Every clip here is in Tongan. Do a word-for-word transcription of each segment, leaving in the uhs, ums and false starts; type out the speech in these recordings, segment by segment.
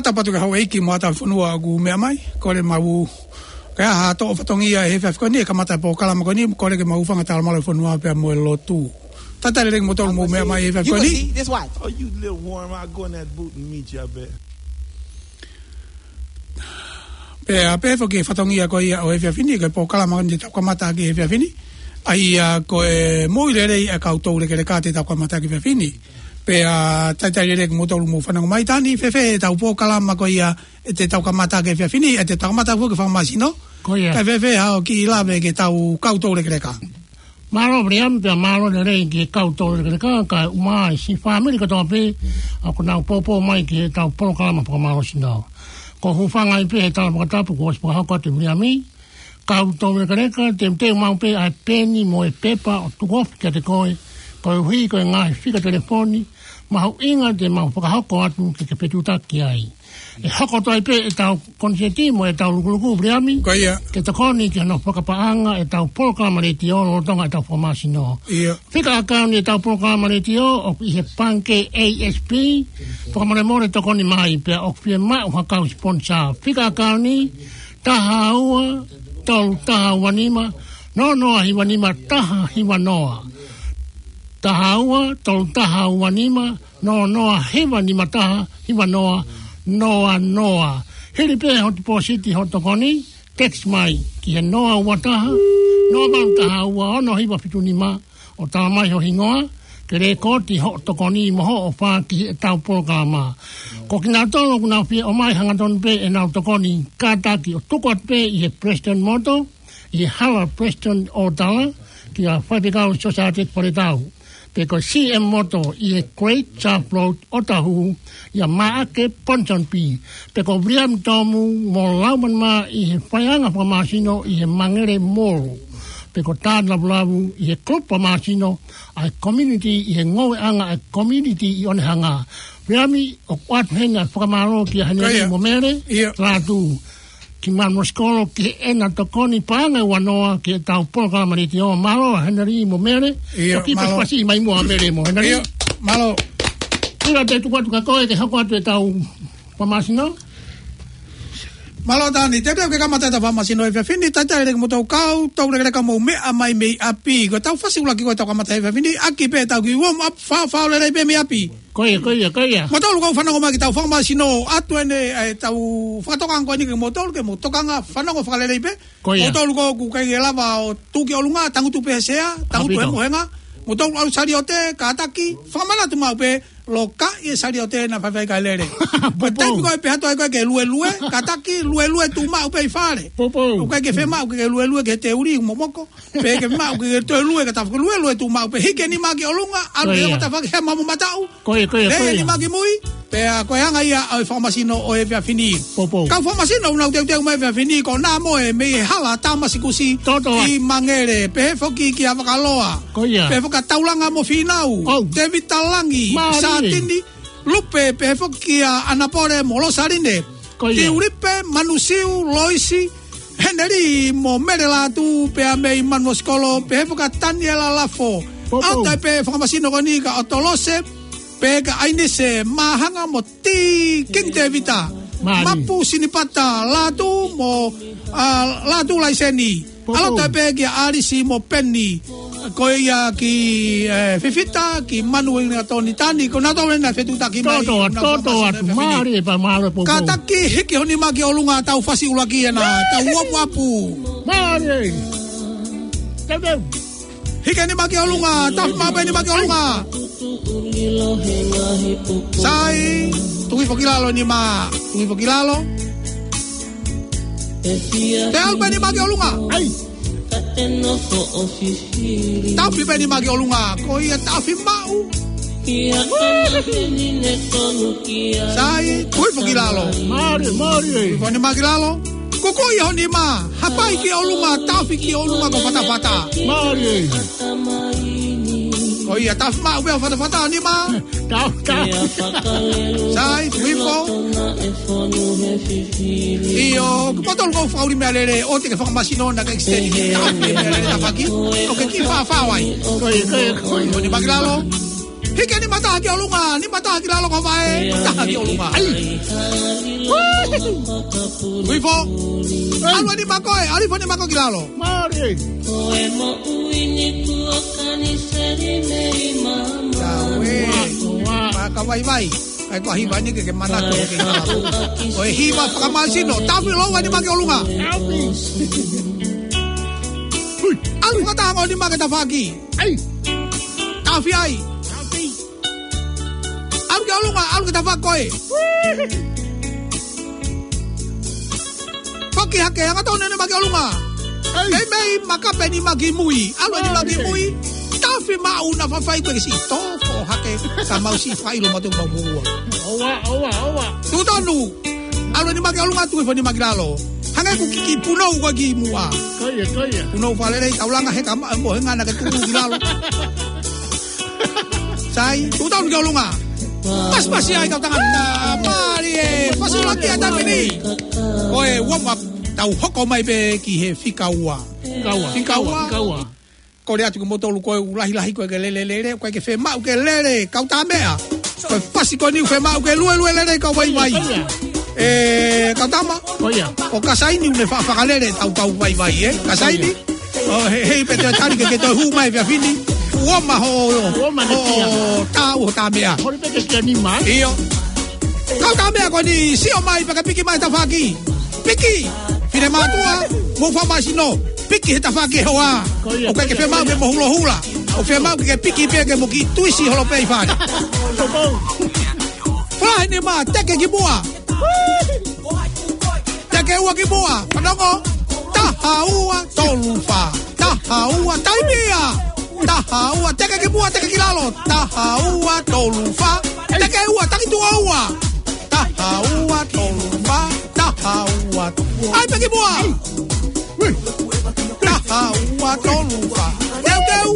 Tapu atu ki he houʻeiki mo e ʻAtaafifonua ʻoku meʻa mai, kole mau ke ʻai ha toʻo fatongia he efiafi ko eni, ʻe kamata e polokalama ko eni, kole ke mau hūfanga he talamalu ʻo e fonua pea mo e lotu. Talitali lelei kimoutolu ʻoku mou meʻa mai he efiafi ko eni. You can see this watch. Oh, you little worm, I'll go in that boot and meet you, I bet. Pea, pea foki e fatongia ko ia ʻo e efiafi ni, ko e polokalama ko eni te tau kamata ʻaki he efiafi ni. ʻA ia ko e moʻui lelei ʻa e kau toulekeleka te tau kamata ʻaki he efiafi ni. Pea, talitali lelei kimoutolu ʻoku mou fanongo mai. Tani, fēfē ʻetau polokalama ko ia ʻe te tau kamata ʻaki he efiafi ni, ʻe te tau kamata foki he fakamasino. Ko ia. Kae fēfē haʻo kiʻi lave ki heʻetau kau toulekeleka? Mālō Viliami, pea mālō lelei ki he kau toulekeleka, kae ʻumaʻā e siʻi fāmili kotoa pē ʻoku nau poupou mai ki heʻetau polokalama fakamālohisino. Ko e hūfanga ai pē he tala fakatapu kuo ʻosi fakahoko atu ʻe Viliami. Kau toulekeleka, teuteu maʻu pē ʻa e peni mo e pepa ʻo tuku ofi kiate koe, koeʻuhi ko e ngaahi fika telefoni mahuʻinga te mau fakahoko atu ke ke fetuʻutaki ai. ʻE hoko atu ai pē ʻetau konisēti mo ʻetau lukuluku Viliami. Ko ia. Ke tokoni ki hono fakapaʻanga ʻetau polokalama letiō lolotonga ʻetau fakamasino. Ia. Fika ʻakauni ʻetau polokalama letiō ʻoku ʻi he pangikē A S P, fakamolemole tokoni mai pea ʻoku fiemaʻu ha kau siponisā. Fika ʻakauni, taha ua, tolu taha ua nima, noa noa hiva nima, taha hiva noa. Taha ua, tolu taha ua nima, noa noa hiva nima taha, hiva noa, noa noa. Hili pē hoʻo tipōsiti hoʻo tokoni, text mai ki he noa ua taha, noa valu taha ua, ono hiva fitu nima, ʻo tala mai ho hingoa, ke lēkooti hoʻo tokoni mo hoʻo ʻofa ki heʻetau polokalama. Ko kinautolu ʻoku nau fie ʻomai hangatonu pē ʻenau tokoni, kātaki ʻo tuku atu pē ʻi he President Moto, ʻi he hala President ʻo Tala, kia Faifekau Society Faletau. Pe ko e C M Moto ʻi he Great South Road, Otahuhu, ʻia Maʻake Ponsonby. Pe ko Viliami Tomu mo Laumani Mā ʻi he faiʻanga fakamasino ʻi he Mangere Mall. Pe ko Tāne Lavulavu ʻi he kulupu fakamasino ʻa e community ʻi he ngoueʻanga ʻa e community ʻi Onehunga. Viliami, ʻoku ʻoatu heni ʻa e fakamālō kia Heneli Ko ia. mo Mele, Ia. Lātū. Ki Manuʻa Sikolo, ki heʻena tokoni paʻanga ʻe ua noa, ki heʻetau polokalama letiō. Mālō, Heneli mo Mele. Ia, ʻOku mālō. pasipasi mai muʻa Mele mo Heneli. Ia, mālō. ʻIo, te u tuku atu kia koe, ke hoko atu ʻetau fakamasino. Mālō Tani, te u pehē ke kamata ʻetau fakamasino he efiafi ni, talitali lelei kimoutolu kau toulekeleka ʻoku mou meʻa mai mei ʻapi. Ko ʻetau fasi ʻuluaki ko ē ʻetau kamata he efiafi ni, ʻaki pē ʻetau kiʻi warm up, fāfā lelei pē mei ʻapi. Ko ia, ko ia, ko ia. Moutolu ʻoku fanongo mai ki heʻetau fakamasino, ʻoatu eni, ʻetau fakatokanga ko eni kimoutolu, ke mou tokanga fanongo fakalelei pē. Ko ia. Moutolu ʻoku ʻikai ke lava ʻo tuʻu ki ʻolunga, tangutu pē he sea, tangutu he Hapito. mohenga. Moutolu ʻalu saliote, kātaki, fakamanatu maʻu pē, lokaʻi e saliote naʻa faifai kae lele. Ko e Poupou. taimi ko ē pē ʻe hā atu ai ko ē ke luelue, kātaki, luelue tuʻu maʻu pē ʻi fale. Poupou. ʻOku ʻikai ke fiemaʻu ke luelue ki he teuli, momoko. Pe ke maʻu ke toe lue ka tafu lue lue tuʻu maʻu pē hiki e nima ki ʻolunga, ʻalu Ko ia. ʻo tafaʻaki he mamu mataʻu. Ko ia, ko ia, Lele ko ia. e nima ki mui, pea ko e anga ia ʻo e fakamasino ʻo e efiafi ni. Poupou. Kau fakamasino ʻoku nau teuteu mai he efiafi ni, ko Nā Moe mei he hala Tāmasikusi Tōtō. ʻi Mangere, pehē foki kia Vakaloa. Ko ia. Pehē foki kia Taulanga mo Fīnau, ʻOu. Tēvita Langi, Mālie. Sātini, Lupe, pehē foki kia ʻAnapole mo Losaline. Ko ia. Tiulipe, Manusiu, Loisi, Heneli mo Mele Lātū, pea mei Manuʻa Sikolo, pehē foki kia Taniela Lafo. Poupou. ʻAlu atu ai pē fakamasino ko eni kia ʻOtolose, pehē kia ʻAinise, Māhanga mo Tī King Tēvita. Mālie. Mapu Sinipata, Lātū mo, ʻa, Lātū Laiseni. Poupou. ʻAlu atu ai pē kia ʻAlisi mo Peni. Ko ia ki, ē, Fifita, ki Manu Inga Toni Tani, ko nautolu eni naʻe fetuʻutaki mai, Tōtō, naʻa tōtō fakamasino atu, he efiafi ni. Mālie pea mālō Poupou. Kātaki, hiki ho nima ki ʻolunga, tau fasi ʻuluaki ena, tau warm up. Mālie. Teuteu. Hiki e nima ki ʻolunga, tafi maʻu pē nima ki ʻolunga. Sai, tuku hifo ki lalo e nima, tuku hifo ki lalo. Tafi pē nima ki ʻolunga. ʻAi. Tafi pē nima ki ʻolunga, ko ia tafi maʻu. Sai, tuku hifo ki lalo. Mālie, mālie. Tuku hifo e nima ki lalo. Kukuʻi ho nima, hapai ki ʻolunga, tafi ki ʻolunga ko fatafata. Mālie. Ko ia tafi maʻu pē ʻo fatafata e nima. Tafi, tafi. Sai, tuku hifo. ʻIo, ko moutolu ʻoku fakaʻuli meʻalele, ʻoua te ke fakamasino naʻa ke extend ke tafi meʻalele tafaʻaki. ʻOku ke kiʻi fāfā ai. Ko ia, ko ia, ko ia. Ko e nima ki lalo. Hiki e nima taha ki ʻolunga, nima taha ki lalo ko e vaʻe, taha ki ʻolunga. ʻAi. Ui fo. ʻAlu e nima ko ē, ʻalu hifo e nima ko ē ki lalo. Mālie. Ia ue. Ua, ua. Pea ka vaivai. ʻAi ko e hiva ni ke ke manatu ke ke lalo. Ko e hiva fakamāsino. Tafi lou e nima ki ʻolunga. Tafi. Ui. ʻAlu fakataha ko e nima ki he tafaʻaki. ʻAi. Tafi ai. Tafi. ʻAlu ki ʻolunga, ʻalu ki he tafaʻaki ko ē. Foki hake, hangatonu e nima ki ʻolunga. ʻAi. Meimei makape e nima ki mui. ʻAlu e nima ki mui. Tafi maʻu naʻa faifai ko e siʻi tō foʻou hake. Ka mau siʻi fai lo matu mau mua. ʻOua, ʻoua, ʻoua. Tuʻu tonu. ʻAlu e nima ki ʻolunga, tuku hifo e nima ki lalo. Hangē ʻoku kiʻi punou ko ē ki muʻa. Ko ia, ko ia. Punou fakalelei, taulanga he ka ma-, mo he ngana ke tuku ki lalo. Sai, tuʻu tonu ki ʻolunga. Pasipasi ai kau tangata. Mālie, pasi laki a tamini. Ko e warm up, tau hoko mai pē ki he fika ua. Fika ua, fika ua, fika ua. Kole atu kimoutolu ko e ʻoku lahilahi ko ē ke lele lele, ko e ʻikai ke fiemaʻu ke lele, kau tā meʻa. Ko e pasi ko eni ʻoku fiemaʻu ke luelue lele kau vaivai. Ko ia. ʻE, kau tama. Ko ia. Ko Kasaini ʻoku ne fa-, fakalele ʻetau kau vaivai, ē? Kasaini. ʻO he, hei pē te tali ke ke toe hū mai pea fini. Uoma ho, uoma ho, ne pia. Ho tā, ho tā meʻa. Holi pē ke kia nima. ʻIo. Kau tā meʻa ko eni, sio mai pea ke piki mai tafaʻaki. Piki. Finemātuʻa, mou fakamāsino. Piki he tafaʻaki hoa. Ko ia, ʻoku ʻikai ke fiemaʻu ke mo hulohula. ʻOku fiemaʻu ke piki pē ke mo kiʻi tuisi holo pē ʻi fale. Ko ia. Fai ni mā, teke ki muʻa. Teke ua ki muʻa. Fanongo. Taha ua tolu fā. Taha ua, taimi ia. Taha ua, teke ki muʻa, teke ki lalo. Taha ua tolu fā. Teke ua, taki tuʻo ua. Taha ua tolu fā. Taha ua. ʻAi pē ki muʻa. Taha ua tolu fā. Teuteu.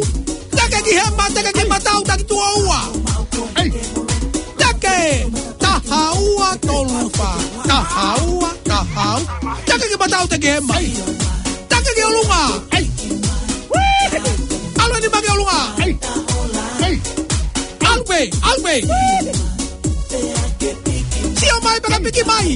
Teke ki hema, teke ki matau, taki tuʻo ua. Teke. Taha ua tolu fā. Taha ua, taha ua. Teke ki matau, teke ki hema. Teke ki ʻolunga. ʻAlu e nima ki ʻolunga. ʻAlu pē, ʻalu pē. Sio mai pea ka piki mai.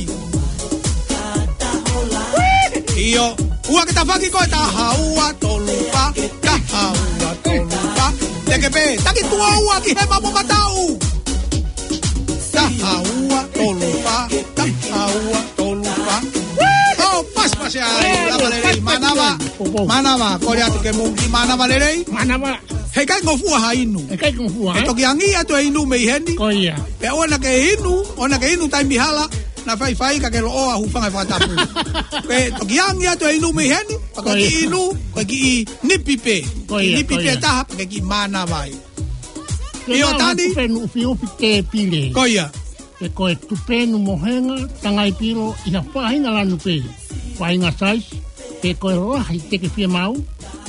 ʻIo, ua ki he tafaʻaki ko e taha ua tolu fā, taha ua tolu fā. Teke pē, taki tuʻo ua ki hema mo matau. Taha ua tolu fā, taha ua tolu fā. ʻO, pasipasi ai, lava lelei, mānava. Mānava, kole atu ke mou kiʻi mānava lelei. Mānava. Heʻikai ngofua ha inu. Heʻikai ngofua, ē? Toki angi atu e inu mei heni. Ko ia. Pea ʻoua naʻa ke inu, ʻoua naʻa ke inu taimi hala, naʻa faifai ka ke loʻoa hūfanga he fakatapu. Pea toki angi atu e inu mei heni, pea ko e kiʻi inu, ko e kiʻi nipi pē. Ko ia, nipi pē taha, pea ke kiʻi mānava ai. ʻIo, Tani. Tupenu ʻufiʻufi tēpile. Ko ia. Pe ko e tupenu mohenga, tangai pilo, ʻi ha faʻahinga lanu pē, faʻahinga size, pe ko e lahi te ke fiemaʻu,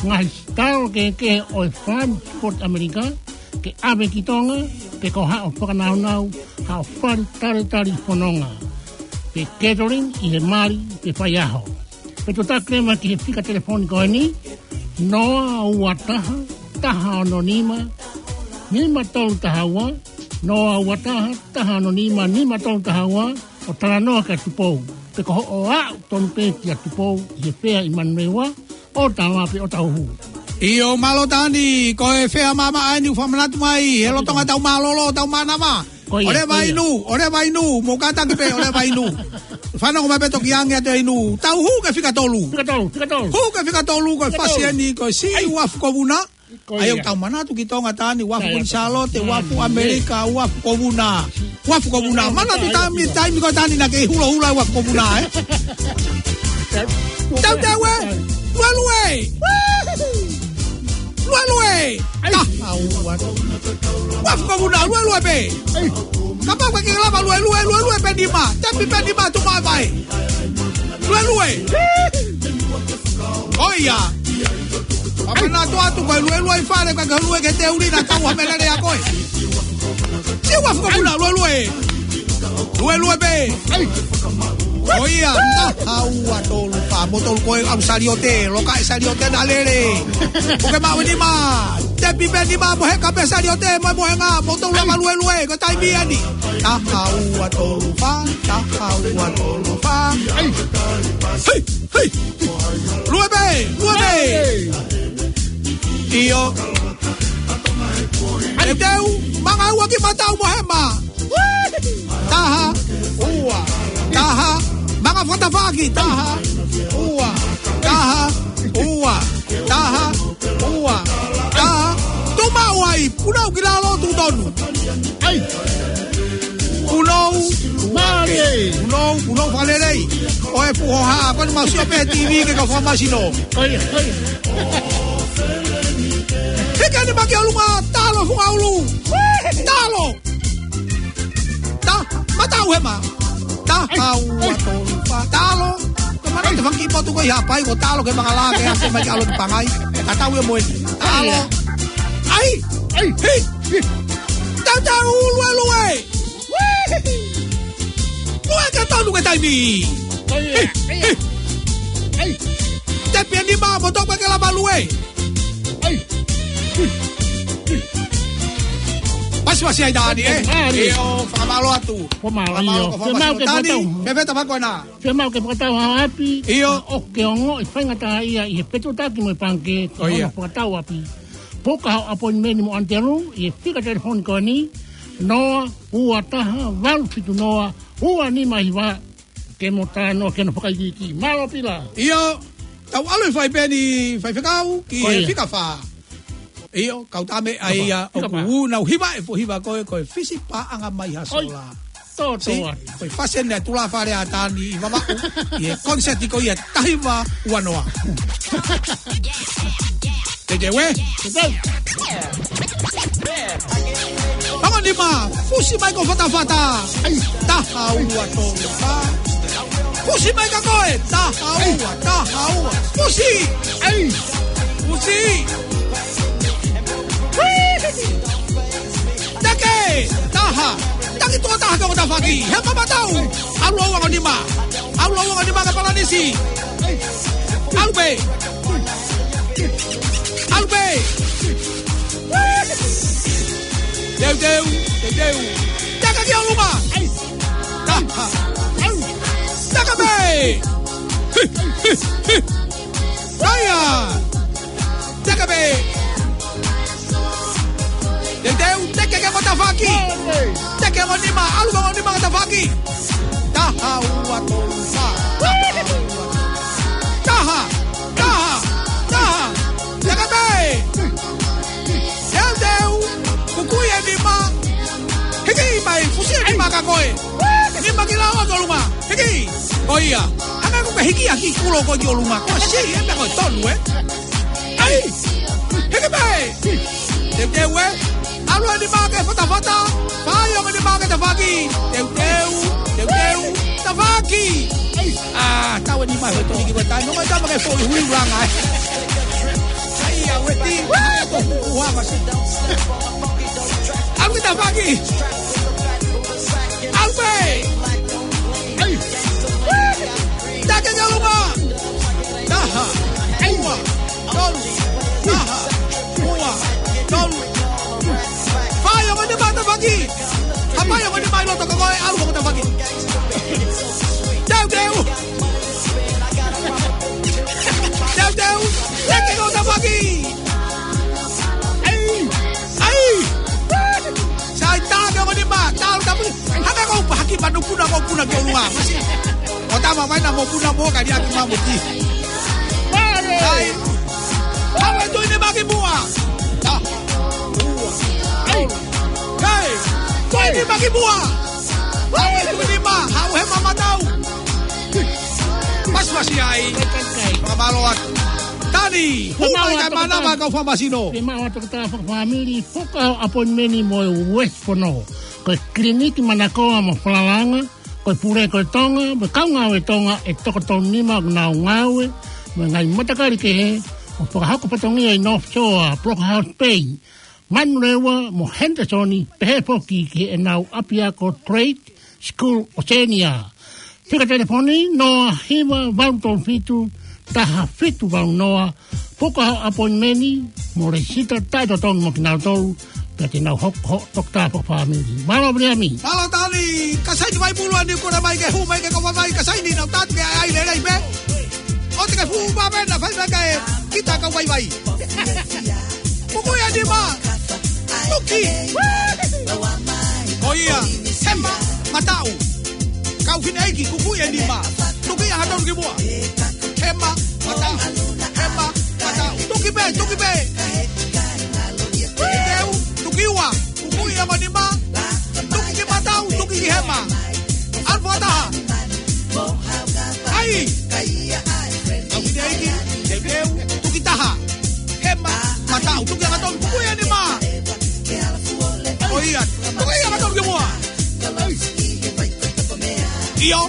ngaahi sitalo kehekehe ʻo e Farm Support ʻAmelika, ke ʻave ki Tonga, pe ko haʻo fakanaunau, haʻo fali talitali fononga. Pe catering ʻi he mali, pe faiʻaho. Pe tuʻu taha mai ki he fika telefoni ko eni, noa ua taha, taha ono nima, nima tolu taha ua, noa ua taha, taha ono nima, nima tolu taha ua, ʻo talanoa kia Tupou. Pe ko hoʻo aʻu tonu pē kia Tupou, ʻi he fea ʻi Manurewa, ʻo tama pe ʻo tauhu. ʻIo mālō Tani, ko e fea maʻamaʻa eni ʻoku fakamanatu mai, he lolotonga ʻetau mālōlō, ʻetau mānava. Ko ia, ʻo leva ko ia. Inu, ʻo leva inu, mou kātaki pē, ʻo leva inu. Fanongo mai pē toki angi atu e inu. Tau hū ki he fika tolu. Fika tolu, fika tolu. Hū ki he fika tolu, ko e fika tolu. Fasi eni, ko e siʻi uafu ko Vuna. Ko ia. ʻAi ʻoku tau manatu ki Tonga Tani, uafu ko Sālote, uafu ʻAmelika, uafu ko Vuna. Uafu ko Vuna. Manatu taimi, taimi ko ē Tani naʻa ke hulohula uafu ko Vuna, ē? Tau te ue. Luelue. Luelue. Ai. Taha ua. Uafu ko Vuna, luelue pē. Ai. Kapau ʻoku ke lava luelue, luelue pē nima. Tepi pē nima tuʻu mai. Luelue. ʻOia. Pea manatu atu ko e luelue ʻi fale, ko e ke lue ke te uli na tau ha melele a koe. Siʻi uafu ko Vuna, luelue. Luelue pē. Ai. ʻOia, taha ua tolu fā, mo tolu ko e au Sālote, loka e Sālote na lele. ʻOku ke maʻu e nima. Tepi pē nima mo e heka pē saliote mo e mohenga mo tolu lava luelue, ko e taimi ʻeni. Taha ua tolu fā, taha ua tolu fā. Ai. Hei, hei. Lue pē, lue pē. Ai. ʻIo. Teuteu, manga ua ki matau mo hema. Taha, ua, taha, manga fakatafaʻaki, taha, ua, taha, ua, taha, ua, taha. Tuʻu maʻu ai, punou ki lalo, tuʻu tonu. Ai. Punou, mālie. Punou, punou fakalelei. ʻOe Puhoha, ko eni mau sio pē he T V ke kau fakamasino. Ai, ai. Hiki eni mai ki ʻolunga, talo funga ʻulu. Talo. Ta, matau hema. Taha ua tolu fā. Talo. Ko e mana te faki potu ko ia pai ko talo ke manga la ke ase mai ke ʻalu ki Pangai. Tatau ia mo eni. Talo. Ai. Ai. Hei. Teuteu, lue, lue. Lue ke tonu ke taimi. Ai, ai, ai. Tepi eni ma mo toka ke lava lue. Ai. Pasipasi ai Dani, ē? Dani. ʻIo, fakamālō atu. Fakamālō, ʻio. Fakamālō, fakamālō. Fiemaʻu ke fakatau. Pea feta fako na. Fiemaʻu ke fakatau ha ʻapi. ʻIo. ʻOku ke ongoʻi faingataʻaʻia ʻi he fetuʻutaki mo e pangikē. ʻO ia. Fakatau ʻapi. Puka ho appointment mo ʻAnitelū ʻi he fika telefoni ko eni, noa ua taha valu fitu noa ua nima hiva, ke mo talanoa ki hono fakaikiiki. Mālō Pila. ʻIo, tau ʻalu ʻo fai pē eni faifekau ki he fika fā. ʻIo, kau tame ai ia ʻoku nau hiva e foʻi hiva ko e, ko e fisi paʻanga mai ha sola. Tō, tō. Ko e fasi eni ʻa Tulafale ʻa Tani ʻi Vavaʻu, ʻi he koniseti ko ia taha hiva ua noa. Teuteu ē? Teuteu. Ongo nima, fusi mai ko fatafata. Ai. Taha ua tolu fā. Fusi mai ka koe, taha ua, taha ua. Fusi. Ai. Fusi. Teke, taha. Taki tuʻo taha ke ʻo tafaʻaki. He mamatau. ʻAlu ʻo ongo nima. ʻAlu ʻo ongo nima ka palanisi. ʻAlu pē. ʻAlu pē. Teuteu, teuteu. Teke ki ʻolunga. Taha. Teke pē. Aia. Teke pē. Teuteu, teke ke mo tafaʻaki. Teke mo nima, ʻalu mo nima ke tafaʻaki. Taha ua tolu fā. Taha, taha, taha. Teke pē. Teuteu, kukui e nima. Hiki mai, fusi e nima ka koe. Nima ki lalo ʻo ʻolunga. Hiki. Ko ia. Hanga ko ke hiki ʻaki kulo ko ki ʻolunga. Ko si, e meʻa ko e tonu, ē. Ai. Hiki mai. Teuteu ē. ʻAlu e nima ke fatafata. Fai ongo nima ke tafaʻaki. Teuteu. Teuteu. Tafaʻaki. Ai. ʻA, tau e nima he tonu ki weta. No, mai tama ke foʻi hui langa, ē. Ai, ʻa weti. Ko ua masi. ʻAlu ke tafaʻaki. ʻAlu pē. Ai. Teke ki ʻolunga. Taha. Ai. Ua. Tolu. Taha. Ua. Tolu. Fai ongo nima tafaʻaki. Hapai ongo nima ʻi loto ka koe, ʻalu ongo tafaʻaki. Teuteu. Teuteu. Teke ongo tafaʻaki. Ai. Ai. Sai tā ke ongo nima, tā ʻalu tafaʻaki. Hanga ko pa haki manu puna ko puna ke ʻolunga. Masi. ʻO tama mai na mo puna mo ka liaki mamuti. Ai. Hau e tui nima ki muʻa. Ai. Hei. Tui nima ki muʻa. Hau e tui nima. Hau he mamatau. Pasipasi ai. Fakamālō atu. Tani. Hū mai kai manava kau fakamasino. Fiemaʻu atu ke ta fakafāmili. Puka ho appointment mo e West Fono. Ko e kiliniki manakoa mo falalanga, ko e pule ko e Tonga, mo e kau ngāue Tonga ʻe toko tolu nima ʻoku nau ngāue mo e ngaahi matakali kehe, ʻo fakahoko fatongia ʻi North Shore, Brockhouse Bay, Manurewa mo Henderson, pehē foki ki heʻenau ʻapiako Trade School Oceania. Fika telefoni, noa hiva valu tolu fitu, taha fitu valu noa, Puka ho appointment mo lēsisita taʻetotonu mo kinautolu, pea te nau hoko ho toketā fakafāmili. Mālō Viliami. Mālō Tali, ka sai ki Vaipulu ʻa Niu Kula mai ke hū mai ke kau vaivai, ka sai ni nau tātu ke ʻai lelei pē. ʻOua te ke fuʻu vave na fai mai kae kita kau vaivai. Puku ia ni ma. Tuki. Ko ia, hema, mataʻu. Kau fineʻeiki, kuku ia ni ma. Tuki ia hatau ki muʻa. Hema, mataʻu. Hema, mataʻu. Tuki pē, tuki pē. Teu, tuki ua. Kuku ia mo nima. Tuki ki mataʻu, tuki ki hema. ʻAlu fakataha. ʻAi. Kau fineʻeiki, teu, teu, tuki taha. Hema, mataʻu, tuki ʻa e tolu, kuku ia ni ma. Ko ia, tuki ia ʻa e tolu ki muʻa. ʻIo.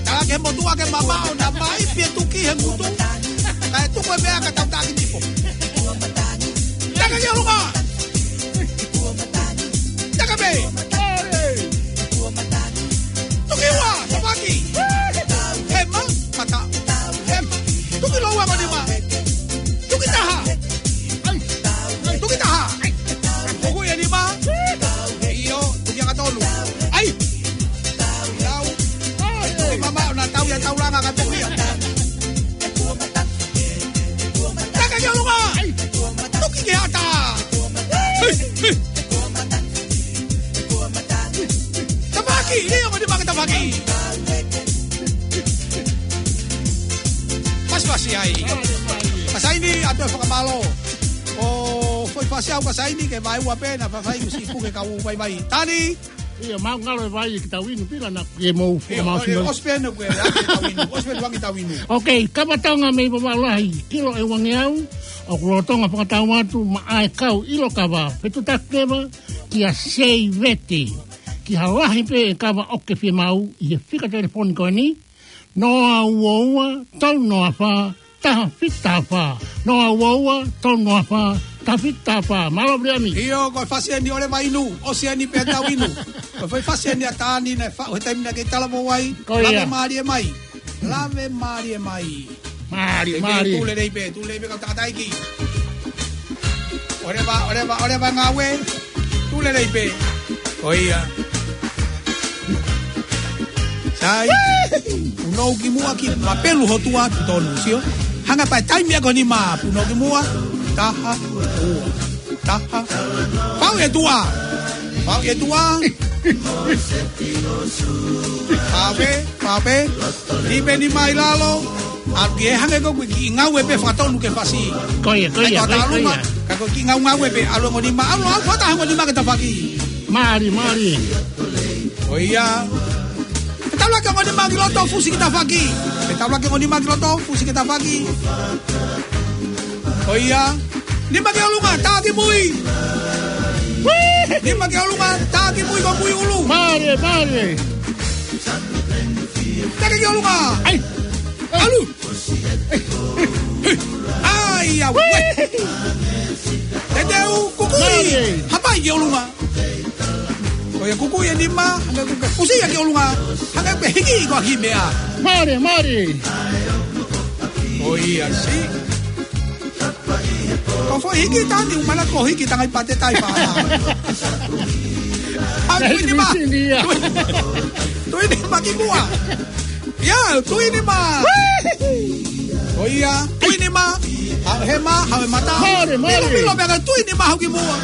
Tala ke motuʻa ke mamaʻo na mai pē tuki he ngutu. Kae tuku e meʻa ka tau taki nipo. Taka ki ʻolunga. Taka pē. Tuki ua, tafaki. Hema, mataʻu. Hema. Tuki lōua mo nima. Tuki taha. Ai. Tuki taha. Kuku ia ni ma. ʻIo, tuki ʻa e tolu. ʻAi. Tau. Tuki mamaʻo na tau ia taulanga ka tuki ia. Taka ki ʻolunga. Tuki ki ata. Hei, hei. Tafaki, ʻio, mo nima ke tafaki. Fasifasi ai. Ka sai ni, ʻoatu e fakamālō. ʻO foʻi fasi au ka sai ni, ke vaeua pē na fafai kusi puke kau vaivai. Tali. ʻIo, mau ngalo e vai ki tau inu pila na ke mou fu ʻIo, mau ʻo, fino. ʻOsi pē na ke, ke tau inu. ʻOsi pē na ke tau inu. Ok, kava Tonga mei Vavaʻu Lahi, ʻilo ʻe uangeau, ʻoku lolotonga fakatau atu, maʻa e kau ʻilo kava, fetuʻutaki leva, kia Seivete. Ki ha lahi pē e kava ʻoku ke fiemaʻu, ʻi he fika telefoni ko eni, noa ua ua, tolu noa fā, taha fitu taha fā. Noa ua ua, tolu noa fā, taha fitu taha fā. Mālō Viliami. ʻIo, ko e fasi eni ʻo leva inu, ʻosi eni pē tau inu. Ko e foʻi fasi eni ʻa Tani naʻe faʻu he taimi naʻa ke talavou ai. Ko ia. Lave mālie mai. Lave mālie mai. Mālie, mālie. Tū lelei pē, tū lelei pē kau tangataʻeiki. ʻOleva, ʻoleva, ʻoleva ngāue. Tū lelei pē. Ko ia. Sai. Punou ki muʻa ki mapelu ho tua ki tonu, sio. Hanga pē taimi ako ni ma, punou ki muʻa. Taha, ua. Taha. Pau e tua. Pau e tua. Pau e, pau e. Ni pē ni mai lalo. ʻAlu ki he hangē ko e kiʻi ngāue pē fakatonu ke fasi. Ko ia, ko ia, ko ia, ko ia. Ka ko e kiʻi ngāue ngāue pē ʻalu e ongo nima, ʻalu ʻalu fakataha ongo nima ke tafaki. Mālie, mālie. Ko ia. Ke taulaki ongo nima ki loto fusi ke tafaki. Ke taulaki ongo nima ki loto fusi ke tafaki. Ko ia. Nima ki ʻolunga, tā ki mui. Nima ki ʻolunga, tā ki mui ko mui ʻulu. Mālie, mālie. Taka ki ʻolunga. ʻAi. ʻAlu. ʻAi, ʻauē. Te teu, kukui. Mālie. Hapai ki ʻolunga. Ko ia kukui e nima, hangē kuke fusi ia ki ʻolunga. Hangē kuke hiki ko e kiʻi meʻa. Mālie, mālie. Ko ia si. Ko e foʻi hiki Tani, ʻumaʻā ko e hiki tangai pate tai pā. ʻA, tui nima. Tui, tui nima ki muʻa. Ia, tui nima. Ko ia, tui nima. Haʻu hema, haʻu e mataʻu. Mālie, mālie. Milo, milo, meʻa ka tui nima haʻu ki muʻa.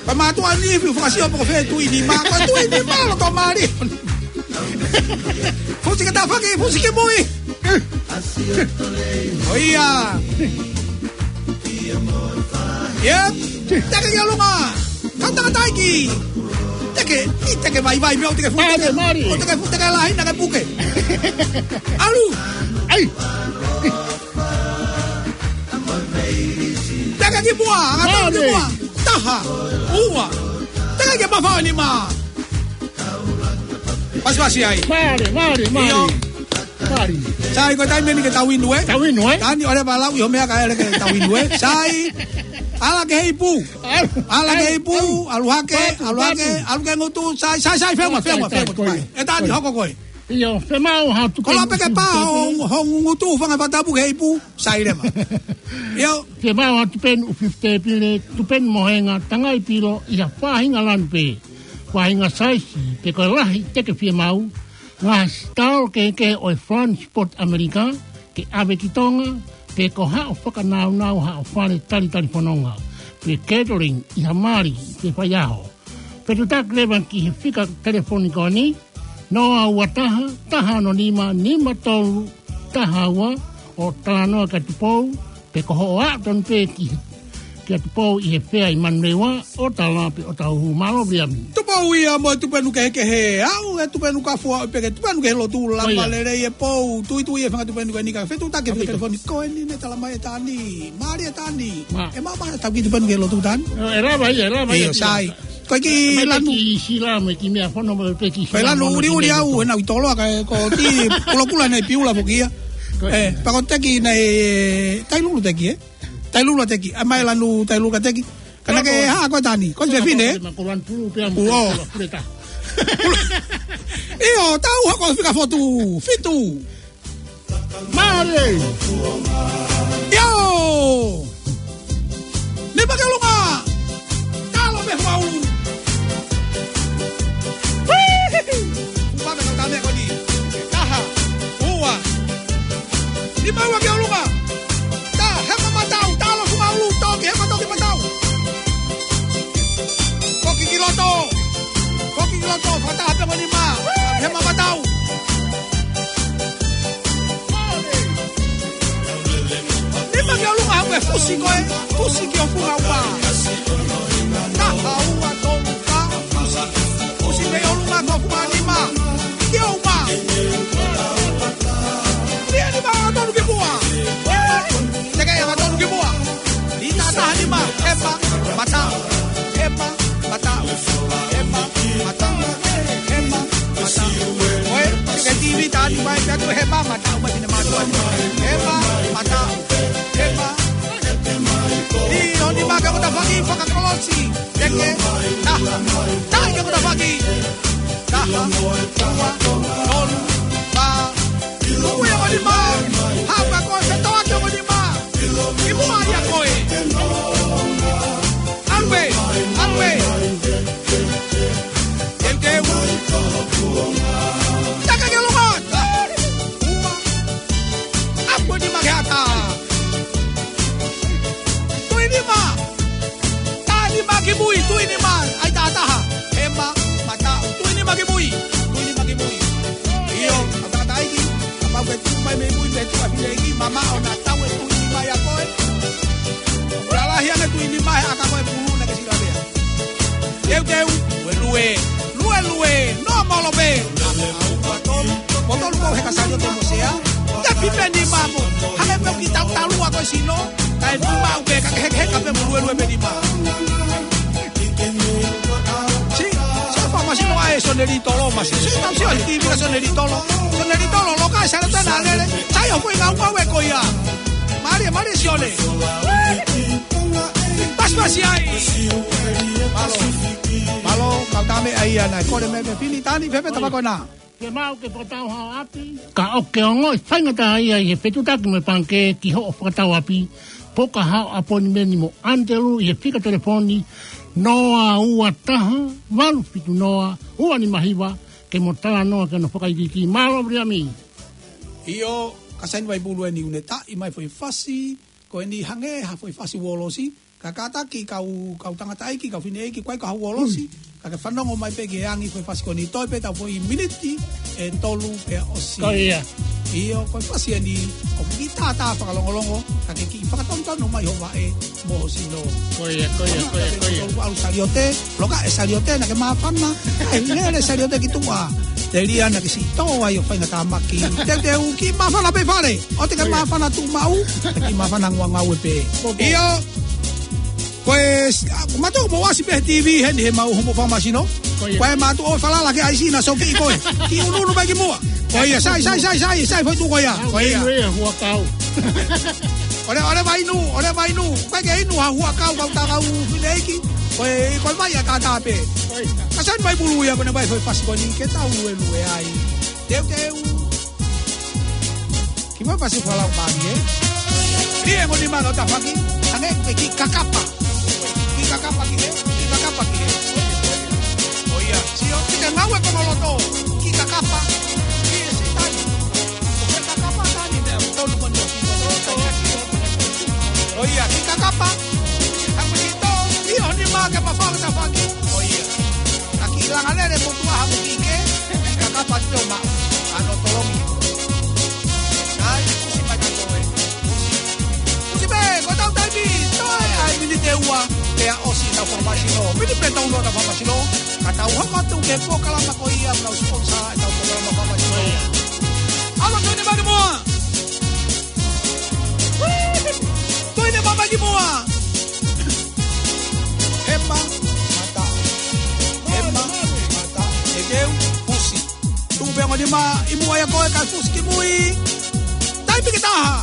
Ko e mātuʻa ni, fiu fakasio poko fē tui nima. Ko e tui nima loto mālie. Fusi ke tafaki, fusi ki mui. Ko ia. Ia. Teke ki ʻolunga. Kau tangataʻeiki. Teke, ʻi teke vaivai meʻa ʻo teke fu, Mālie, teke, mālie. ʻO teke fu, teke lahi, na ke puke. ʻAlu. ʻAi. Teke ki muʻa, anga tau ki Mālie. muʻa. Taha. Ua. Teke ki mafao nima. Pasipasi ai. Mālie, mālie, mālie. ʻIo. Mālie. Sai, ko e taimi eni ke tau inu, ē? Tau inu, ē? Tani, ʻoleva lau ʻi ho meʻa ka ʻele ke tau inu, ē? Sai. ʻAla ki he ipu. ʻAlu. ʻAla ki he ipu, ʻalu. ʻAlu hake, ʻalu hake, ʻalu ki he ngutu, sai, sai, sai, feʻunga, feʻunga, feʻunga, feʻunga. ʻE Tani, hoko koe. ʻIo, fiemaʻu ha tupenu ʻufiufi tēpile. Koloa pē ke pā ho, ho ngutu fanga fatapu ke ipu, sai leva. ʻIo. Fiemaʻu ha tupenu ʻufiufi tēpile, tupenu mohenga, tangai pilo, ʻi ha faʻahinga lanu pē. Faʻahinga saisi, pe ko e lahi te ke fiemaʻu, ngaahi sitolo kehekehe ʻo e Front Sport ʻAmelika, ke ʻave ki Tonga, pe ko haʻo fakanaunau haʻo fale talitali fononga, pe catering ʻi ha mali, pe faiʻaho. Fetuʻutaki leva ki he fika telefoni ko eni, noa ua taha, taha ono nima, nima tolu, taha ua, ʻo talanoa kia Tupou, pe ko hoʻo aʻu tonu pē ki, kia Tupou ʻi he fea ʻi Manurewa, ʻo tala pe ʻo tau hū. Mālō Viliami. Tupou ia mo e tupenu kehekehe, aʻu e tupenu kafu aʻu pē ki he tupenu kehe lotu. Ko ia. Lama lelei e pou, tuitui e fanga tupenu ko eni ka fetuʻutaki e fika telefoni ko eni ne talamai ʻe Tani. Mālie Tani. Mā. ʻE maʻu pē ha tau kiʻi tupenu kehe lotu Tani. ʻE lava ia, ʻe lava ia. ʻIo, sai. Ko e kiʻi lanu. Kiʻi sila mo e kiʻi meʻa fono mo e kiʻi sila. Ko e lanu ʻuliʻuli au, he naʻa ku ʻi Toloa ka ko e kiʻi kulokula naʻe piula foki ia. Ko e. ʻE, pea ko e teki naʻe, Tailulu teki, ē? Tailulu teki, ʻa mai lanu Tailulu ka teki. Ka naʻa ke hā ko e Tani, ko e fefine, ē? Ko e lanu pulu pea mo e kula puleta. ʻIo, tau hoko fika fotu, fitu. Mālie. ʻIo. Nima ki ʻolunga. Talo mei he maulu. Upa me kau tame ko eni. Taha. Ua. Nima ua ki ʻolunga. Tā, hema mataʻu, talo ki maulu, toki, hema toki mataʻu. Foki ki loto. Foki ki loto, fakataha pē mo e nima. Hema mataʻu. Nima ki ʻolunga, haʻu e fusi ko ē, fusi ki ho funga uma. Taha, ua, tolu, fā, fusi. Fusi mei ʻolunga ki ho funga nima. Ki ho uma. Nima, nima, ʻalu tonu ki muʻa. Teke, ʻalu tonu ki muʻa. Nima taha nima, hema, mataʻu. Hema, mataʻu. Hema, mataʻu. Hema, mataʻu. Ko e, ke tivi tani mai, pea tu hema, mataʻu, mai pine mataʻu. Hema, mataʻu. Hema. ʻIo, nima ke kota faki, fakakolosi. Teke, taha. Taha ke kota faki. Taha, ua, tolu, fā. Tuku ia mo e nima. Hapa ko e fetoa ke mo e nima. Ki muʻa ia ko ē. ʻAlu ē, ʻalu ē. Teu, teu. Taka ke longa. Ua. ʻAlu e nima ke ata. Tui nima. Tā nima ki mui, tui nima. ʻAi tā taha. Hema, mataʻu. Tui nima ki mui. Tui nima ki mui. ʻIo, ʻa tangataʻeiki. Kapau ke tuʻu mai mei mui, mei tuʻa fineʻeiki, mamaʻo naʻa tau e tui nima ia ko ē. Lalahi ange tui nima he ʻaka ko e pulu naʻa ke sila lea. Teuteu, lue, lue, lue, lue, nō molo pē. Mo tolu ko e heka Saliote mo Sea. Te pipe nima mo. Hangē pē ʻoku ke tautau ʻa ko e sino. Kae nima ʻoku ke ka ke hekaheka pē mo luelue pē nima. Si, si famasino ʻa e Sonelitolo, masi. Si, si, si, si, si, Sonelitolo. Sonelitolo, loka e Saliote naʻa lele. Sai ʻo ko e ngāue ko ia. Mālie, mālie Sione. Pasipasi ai. Mālō. Mālō, kau tame ai ana. Kole mei he fili Tani, fefe tama ko ena. Ke maʻu ke fakatau haʻo ʻapi. Ka ʻoku ke ongoʻi faingataʻaʻia ʻi he fetuʻutaki mo e pangikē ki hoʻo fakatau ʻapi. Poka haʻo ʻaponimeni mo ʻAnitelū ʻi he fika telefoni noa ua taha, valu fitu noa, ua nima hiva, ke mo talanoa ki hono fakaikiiki. Mālō Viliami. ʻIo, ka saini mai pulu eni ʻoku ne taʻi mai foʻi fasi, ko eni hangē ha foʻi fasi uolosi, ka kātaki kau, kau tangataʻeiki, kau fineʻeiki, ʻoku ʻikai ko ha uolosi, ka ke fanongo mai pē ki he angi foʻi fasi ko eni, toe pē tau foʻi miniti ʻe tolu pea ʻosi. Ko ia. ʻIo, ko e fasi eni, ʻoku kiʻi tātā fakalongolongo, ka ke kiʻi fakatonutonu mai ho vaʻe mo ho sino. Ko ia, ko ia, ko ia, ko ia. Tolu ʻalu Saliote, loka e Saliote naʻa ke māfana, ʻai lele Saliote ki tuʻa. Telia naʻa ke siʻi tō ai ʻo faingatāmaki. Teuteu kiʻi māfana pē fale. ʻOua te ke māfana tuʻumaʻu, kiʻi māfana ngāue pē. ʻIo. Ko e, a, mātuʻa mo ʻasi pē he T V heni he mau homo famasino. Ko ia. Ko e mātuʻa ʻoku falala ki ai sina soki ko e. Kiʻi unuunu mai ki muʻa. Ko ia, sai, sai, sai, sai, sai, foʻi tuʻu ko ia. Ko ia. Inu ia, huakau. ʻOle, ʻole mai inu, ʻole mai inu. Ko e ke inu ha huakau kau tā kau fineʻeiki. Ko e, ko e mai ʻa tātā pē. Ko ia. Ka saini mai pulu ia ko ʻene mai foʻi fasi ko eni ke tau luelue ai. Teuteu. Kimuʻa pasi falau mālie. Lie mo ni mano tafaki. Ane pe ki kakapa. Ki kakapa ki he. Ki kakapa ki he. ʻOia. Sio. Ki te maue ko loto. Ki kakapa. Ki he sitani. Ki kakapa tani. Meʻa tonu ko ni. ʻOia. Ki kakapa. Haku ki to. Io ni ma ke mafau tafaki. ʻOia. Ka ki langa lele mo tua hamu ki ke, ki kakapa te o ma. ʻAno tolongi. Sai, kusi mai ka toe. Kusi mai, ko tau taimi, toe ai miniti ʻe ua, pea ʻosi tau fakamasino. Miniti pea tau loa tau fakamasino. Ka tau hoko atu ke pōkalama ko ia, tau sponsor, tau pōkalama fakamasino. ʻAlo, toe ni mani mua. Toe ni mama ki mua. Ema, mata. Ema, mata. Teuteu, pusi. Tuku pē ongo nima ʻi muʻa ia ko e ka pusi ki mui. Taimi ke taha.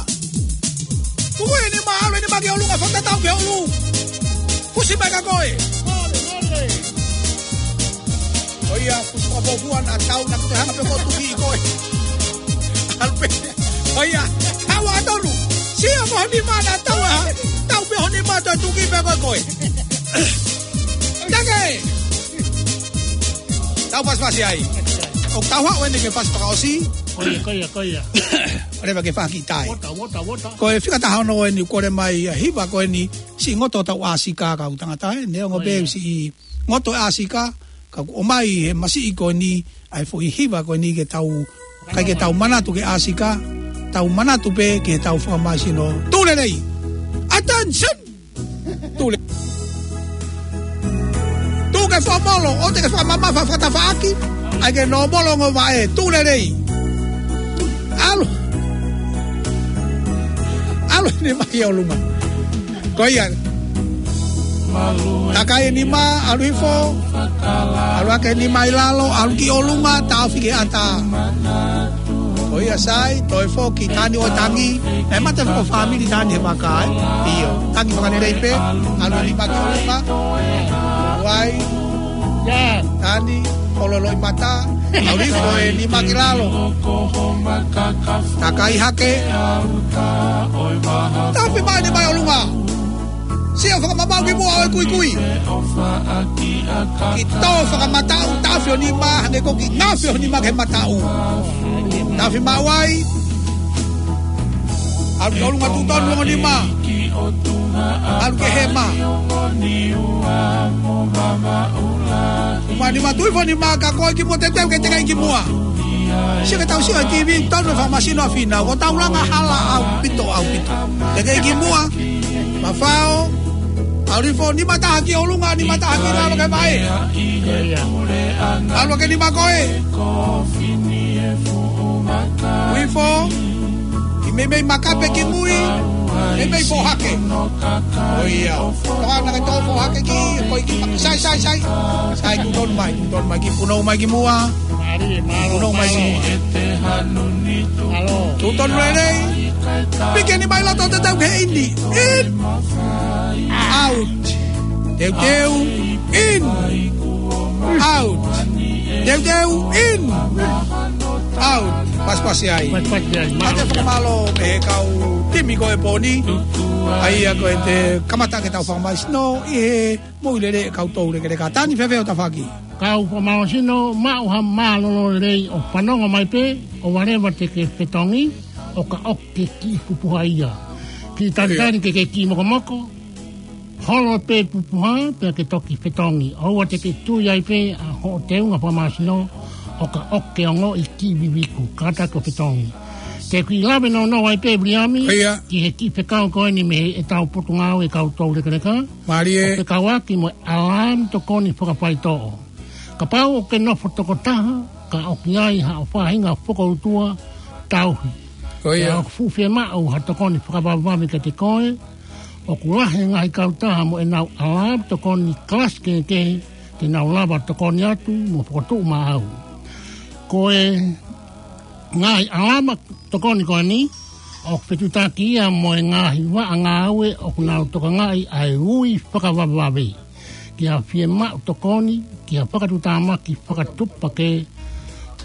Tuku e nima, ʻalu e nima ki ʻolunga, fakatatau ki ʻolunga. Pusi mai ka ko e. ʻOia, pusi ka pō kuana tau na kute hanga pē ko tuki ko e. ʻAlu pē. ʻOia, hawa tonu. Sio mo ni mana tau a. Tau pē ho ni mata tuki pē ko koe. Take. Tau pasipasi ai. ʻO tau haʻu eni ke pasi paka ʻosi. Ko ia, ko ia, ko ia. ʻOleva ke faki tai. Wota, wota, wota. Ko e fika taha ono eni kole mai ʻa hiva ko eni si ngoto tau ʻāsika kau tangata e. Neongo pē si ngoto ʻāsika, ka ʻoku ʻomai he masiʻi ko eni, ʻa e foʻi hiva ko eni ke tau, kai ke tau manatu ke ʻāsika, tau manatu pē ke tau fakamasino. Tū lelei. Attention! Tū le-, tū ke fakamolo, ʻo te ke fakamamafa fakatafaʻaki, ʻai ke nō molo ngo vaʻe, tū lelei. ʻAlu. ʻAlu ni mai ʻolunga. Ko ia. Takai e nima, ʻalu hifo. ʻAlu hake e nima ʻi lalo, ʻalu ki ʻolunga, taofi ke ʻatā. Ko ia sai, toe foki, tani ʻo tangi. E mate fo fāmili tani he maka, ē. ʻIo, tangi fakalelei pē, ʻalu e nima ki ʻolunga. Vai. Tani, ʻololoʻi mata. ʻAlu hifo e nima ki lalo. Takai hake. Taofi mai e nima ʻi ʻolunga. Sio fakamamaʻu ki muʻa ʻo e kuikui. Ki tō fakamataʻu, taofi ho nima, hangē ko ki ngaofi ho nima ke mataʻu. Taofi maʻu ai. ʻAlu ki ʻolunga, tuʻu tonu ongo nima. ʻAlu ki hema. Uma nima, tuʻu hifo nima ka ko e ki muʻa, teuteu ke tekai ki muʻa. Sio ke tau sio he TV, tonu e fakamasino ʻa Fina, ko tau langa hala ʻaupito, ʻaupito. Tekai ki muʻa. Mafao. ʻAlu hifo, nima taha ki ʻolunga, nima taha ki lalo ke vaʻe. ʻAlu hake nima ko e. Hifo. Ki meimei makape ki mui. Meimei foʻohake. ʻOia. Toka na ke tō foʻohake ki, ko e ki, sai, sai, sai. Sai, tuʻu tonu mai, tuʻu tonu mai ki, punou mai ki muʻa. Punou mai ki muʻa. Tuʻu tonu lelei. Piki e nima ʻi loto, teuteu ki he ini. In. Out. Teuteu. In. Out. Teuteu. In. Out. Pasipasi ai. Pasipasi ai. Mālō. Mālō. Fakamālō mei he kau timi ko e pō ni. ʻA ia ko e te kamata ke tau fakamasino ʻi he moʻui lelei e kau toulekeleka. Tani fēfē ʻo tafaʻaki. Kau fakamālō sino, maʻu ha mālōlō lelei ʻo fanongo mai pē, ʻoua leva te ke fetongi, ʻo ka ʻoke kiʻi pupuha ia. Kiʻi talitali ke ke kiʻi mokomoko, holo pē pupuha, pea ke toki fetongi. ʻOua te ke tui ai pē ʻa hoʻo teunga fakamālō sino, ʻo ka ʻoke ongoʻi kiʻi viviku, kātaki ʻo fetongi. Te u kiʻi lave nounou ai pē, Viliami, ki he kiʻi fekau ko eni mei he ʻetau potungāue kau toulekeleka. Mālie. ʻO fekauʻaki mo e ʻalamu tokoni fakafaitoʻo. Kapau ʻoku ke nofo tokotaha, ka ʻoku ʻi ai haʻo faʻahinga fokoutua, tauhi. Ko ia. Pea ʻoku fuʻu fiemaʻu ha tokoni fakavavevave kiate koe, ʻoku lahi e ngaahi kautaha mo ʻenau ʻalamu tokoni kalasi kehekehe, te nau lava tokoni atu mo fokotuʻu maʻau. Ko e ngaahi ʻalamu tokoni ko eni, ʻoku fetuʻutaki ia mo e ngaahi vaʻa ngāue ʻoku nau tokangaʻi ʻa e ui fakavavevave. Ki ha fiemaʻu tokoni, ki ha fakatuʻutāmaki fakatuʻupakē,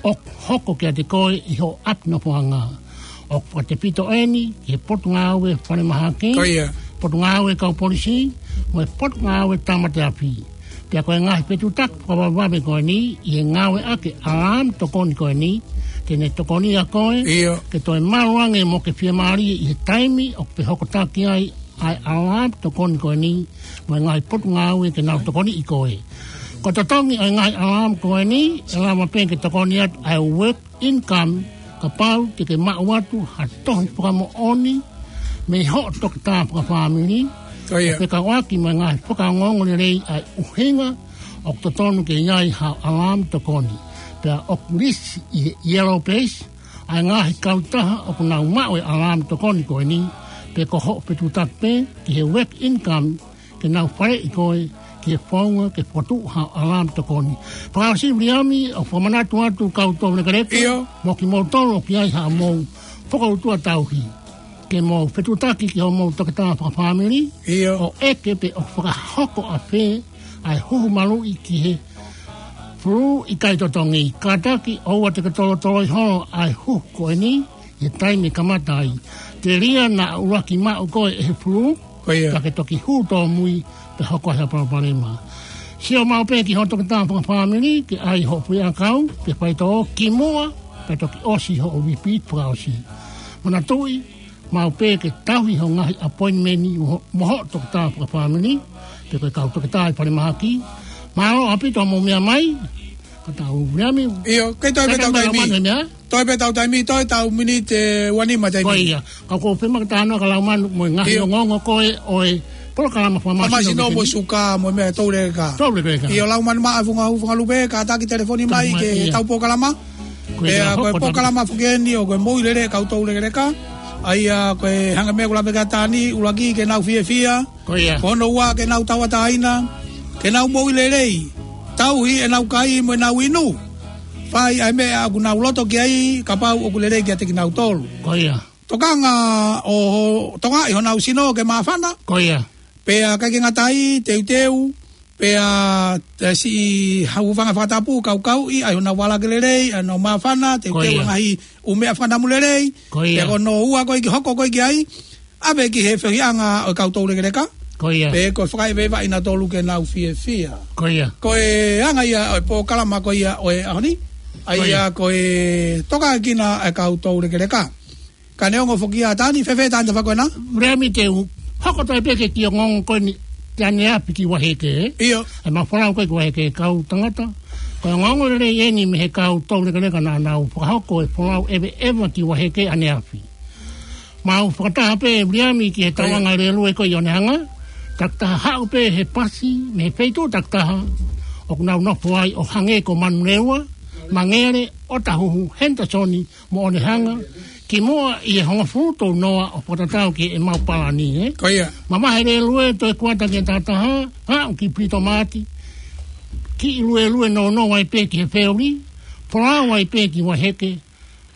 ʻoku hoko kiate koe ʻi hoʻo ʻapi nofoʻanga. ʻOku fakatefito eni ki he Potungāue Falemahaki, Ko ia. Potungāue Kau Polisi, mo e Potungāue Tāmate Afi. Pea ko e ngaahi fetuʻutaki fakavavevave ko eni, ʻi he ngāueʻaki e ʻalāmu tokoni ko eni, te ne tokoniʻi koe, ʻIo. ke toe malu ange mo ke fiemālie ʻi he taimi ʻoku fehokotaki ai ʻa e ʻalāmu tokoni ko eni, mo e ngaahi potungāue ke nau tokoniʻi koe. Ko e totongi ʻo e ngaahi ʻalāmu ko eni, ʻe lava pē ke tokoni atu ʻa e work income, kapau te ke maʻu atu ha tohi fakamoʻoni mei hoʻo toketā fakafāmili, Ko ia. ʻo fekauʻaki mo e ngaahi fakaongoongo lelei ʻa e ʻuhinga ʻoku totonu ke ʻi ai ha ʻalāmu tokoni. Pea ʻoku lisi ʻi he Yellow Pages ʻa e ngaahi kautaha ʻoku nau maʻu e ʻalāmu tokoni ko eni, pe ko hoʻo fetuʻutaki pē ki he work income, ke nau faleʻi koe ki he founga ke fokotuʻu ha ʻalāmu tokoni. Fakaʻosi Viliami, ʻoku fakamanatu atu kau tau lekeleke, ʻIo. mo kimoutolu ʻoku ʻi ai haʻamou fokoutua tauhi ke mou fetuʻutaki ki hoʻomou toketā fakafāmili, ʻIo. ʻo ʻeke pe ʻoku fakahoko ʻafē ʻa e huhu maluʻi ki he fulū ʻikai totongi. Kātaki ʻoua te ke tolotoloi holo ʻa e huhu ko eni ʻi he taimi ʻe kamata ai. Telia naʻa ʻuluaki maʻu koe ʻe he fulū, Ko ia. ka ke toki hū tōmui pe hoko ai ha palopalema. Sio maʻu pē ki hoʻo toketā fakafāmili ke ʻai hoʻo fuʻu ʻakau pe faitoʻo kimuʻa pea toki ʻosi hoʻo repeat fakaʻosi. Manatuʻi, maʻu pē ke tauhi hoʻo ngaahi appointment mo, mo hoʻo toketā fakafāmili, pe ko e kau toketā ʻi falemahaki. Mālō ʻaupito hoʻomou meʻa mai, kau tau Viliami. ʻIo, kei toe pē Kei tau taimi. Manu e meʻa. Toe pē tau taimi, toe tau miniti ʻe ua nima taimi. Ko ia, ka ʻoku ou fie maʻu ke talanoa kia Laumanu mo e ngaahi ʻIo. ongoongo ko ē ʻo e polokalama Fakamasino Fakamasino mo e Vekeni. Suka mo e meʻa tau lekeleka. Tau lekeleka. ʻIo, Laumanu Maʻa Funga Hū Funga Lupe, kātaki telefoni mai Tau mai, ke ʻio. tau polokalama. Ko ia, Pea ko e hoko tau. polokalama foki eni ʻo ko e moʻui lelei kau tau lekeleka. ʻA ia ko e hanga meʻa ʻoku lave ki ai ʻa Tani, ʻuluaki ke nau fiefia. Ko ia. Ko hono ua ke nau tauʻatāina, ke nau moʻui lelei, tauhi ʻenau kai mo ʻenau inu. Fai ʻa e meʻa ʻoku nau loto ki ai, kapau ʻoku lelei kiate kinautolu. Ko ia. Tokanga ʻo, ʻo tokangaʻi honau sino ke māfana. Ko ia. Pea ʻikai ke ngata ai, teuteu, pea, e, siʻi hūfanga fakatapu, kaukauʻi ʻa honau vala ke lelei, ʻa honau māfana, teuteu Ko ia. ngaahi ʻū meʻa fakanamu lelei. Ko ia. Pea ko hono ua ko ē ke hoko ko ē ki ai, ʻave ki he feohiʻanga ʻo e kau tau lekeleka. Ko ia. Pe ko e fakaʻeveʻeva ʻa kinautolu ke nau fiefia. Ko ia. Ko e anga ia ʻo e polokalama ko ia ʻo e ʻaho ni. ʻA Ko ia. ia ko e tokangakina ʻa e kau tau lekeleka. Ka neongo foki ʻa Tani, fēfē Tani, tau fai ko ena? Viliami, te u hoko atu pē ki he kiʻi ongoongo ko eni, ʻi ʻaneafi ki Vaiheke. ʻIo. ʻA e mau folau ko ē ki Vaiheke kau tangata. Ko e ongoongo lelei eni mei he kau tau lekeleka naʻa nau fakahoko e folau ʻeveʻeva ki Vaiheke ʻaneafi. Mau fakataha pē Viliami ki he Ko ia. tauʻanga lēlue ko ē ʻi ʻOnehanga. Takitaha haʻu pē he pasi, mei he feituʻu takitaha ʻoku nau nofo ai ʻo hangē ko Manurewa, Mangere, ʻOtahuhu, Henderson, mo ʻOnehanga, kimuʻa ʻi he hongofulu tolu noa ʻo fakatatau ki heʻemau palani, ē? Ko ia. Mamahi e lēlue toe kuata ki he tahataha, haʻu ki Pilitomati, kiʻi luelue nounou ai pē ki he feoli, folau ai pē ki Vaiheke,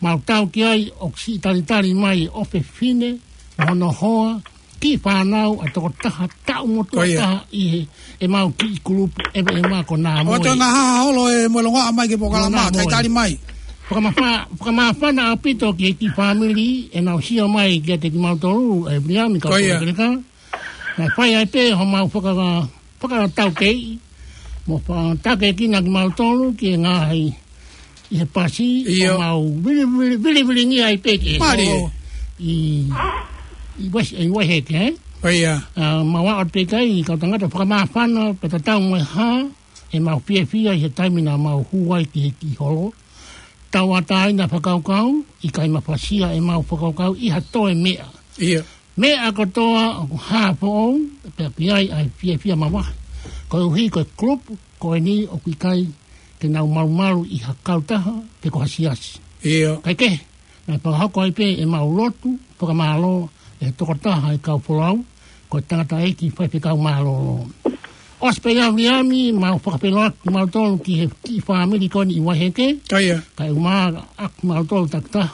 mau tau ki ai ʻoku siʻi talitali mai e ʻofefine, mo hono hoa, kiʻi fānau ʻa e tokotaha taʻu motuʻa Ko ia. taha ʻi he, ʻemau kiʻi kulupu ʻeveʻeva ko Nā ʻO Moe. toe ngaahi holo e mo e longoaʻa mai ki he polokalama, Nā Moe. talitali mai. Fakamafa-, fakamāfana ʻaupito ki he kiʻi fāmili ʻenau sio mai kiate kimautolu, ʻe Viliami, kau Ko ia. tau lekeleka. Naʻe fai ai pē homau faka-, fakataukei, mo fakatakekina kimautolu ki he ngaahi ʻi he pasi, ʻIo. ʻo mau vili, vili, vili, vili ngia ai pē ki he Mālie. holo ʻi, ʻi Wes-, ʻi Vaiheke, ē? Ko ia. ʻA, mau aʻu pē ki ai, kau tangata fakamāfana, pea tatau mo e hā, ʻemau fiefia ʻi he taimi naʻa mau hū ai ki he kiʻi holo. Tauʻatāina fakakaukau, ʻikai mafasia ʻemau fakakaukau ʻi ha toe meʻa. ʻIo. Meʻa kotoa ʻoku hā foʻou, pea ʻoku ʻi ai ʻa e fiefia mavahe. Koeʻuhi ko e kulupu ko eni ʻoku ʻikai ke nau malumalu ʻi ha kautaha pe ko ha siasi. ʻIo. Kae kehe, naʻe fakahoko ai pē ʻemau lotu fakamālō ʻe he tokotaha ʻo e kau folau, ko e tangataʻeiki faifekau mālōlō. ʻOsi pē ia Viliami, mau fakafeʻiloaki kimautolu ki he kiʻi fāmili ko eni ʻi Vaiheke. Ko ia. Kae ʻumaʻā ʻa kimautolu takitaha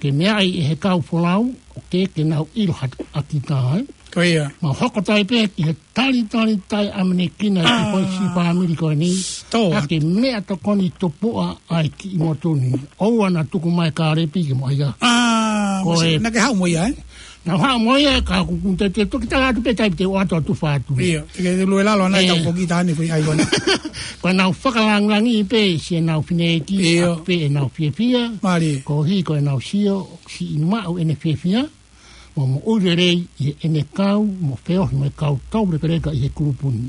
ke meaʻi ʻe he kau folau, ʻo ke, ke nau ʻilo hake ʻa kita, ē? Ko ia. Mau hoko atu ai pē ki he talitali taʻeʻamanekina ʻa e kiʻi foʻi siʻi fāmili ko eni. Tō. ʻA e meʻatokoni tupuʻa ʻa e kiʻi motu ni. ʻOua naʻa tuku mai Kālepi ke mo ʻai ia. Ko e, naʻa ke haʻu mo ia, ē? Naʻa ku haʻu mo ia, ka ʻoku ou tui te u toki tala atu pē taimi te u ʻoatu ʻo tufa atu. Ia, te ke lue lalo ʻanai, ʻe, tau foki tāne foʻi ʻai ko ena. Ko ʻenau fakalāngilangiʻi pē siʻenau fineʻeiki, ia, ʻa pē ʻenau fiefia. Mālie. Koeʻuhi ko ʻenau sio, siʻi maʻu ʻene fiefia mo moʻui lelei ʻi heʻene kau mo feohi mo e kau toulekeleka ʻi he kulupu ni.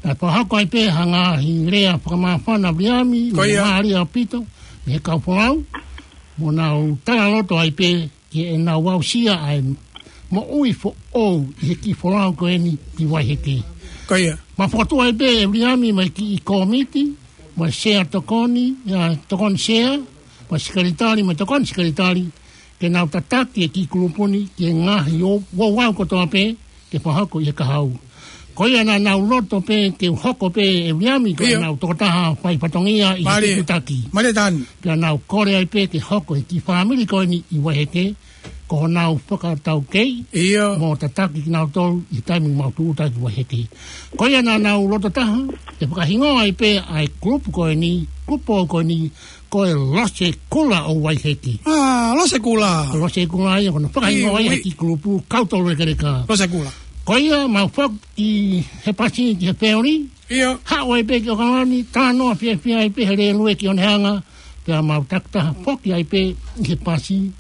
Naʻe fakahoko ai pē ha ngaahi lea fakamāfana, Viliami, ko ia, mālie ʻaupito mei he kau folau, mo nau talaloto ai pē ki heʻenau aʻusia ʻa e moʻui foʻou ʻi he kiʻi folau ko eni ki Vaiheke. Ko ia. Mau fokotuʻu ai pē, ʻe Viliami, mo e kiʻi kōmiti, mo e sea tokoni, ʻa, tokoni sea, mo e sekelitali, mo e tokoni sekelitali, ke nau tataki e kiʻi kulupu ni ki he ngaahi ʻo, ouau kotoa pē ke fakahoko ʻi he kahaʻu. Ko ia naʻa nau loto pē ke u hoko pē, ʻe Viliami, ko, ia, ʻenau tokotaha fai fatongia ʻi he, mālie, tutaki. Mālie Tani. Pea nau kole ai pē ke hoko e kiʻi fāmili ko eni ʻi Vaiheke ko honau fakataukei, ia, mo tataki kinautolu ʻi he taimi mau tuʻu atu ai ki Vaiheke. Ko ia naʻa nau loto taha ke fakahingoa ai pē ʻa e kulupu ko eni, kulupu ko eni, ko e Lose Kula ʻo Vaiheke. ʻĀ, Lose Kula. Ko e Lose Kula ia, ko hono fakahingoa ia ʻe he kiʻi kulupu kau toulekeleka. Lose Kula. Ko ia mau foki he pasi ki he feoli. Ia. Haʻu ai pē ki ʻAokalani, talanoa fiefia ai pē he lēlue ki Onehunga, pea mau takitaha foki ai pē ʻi he pasi,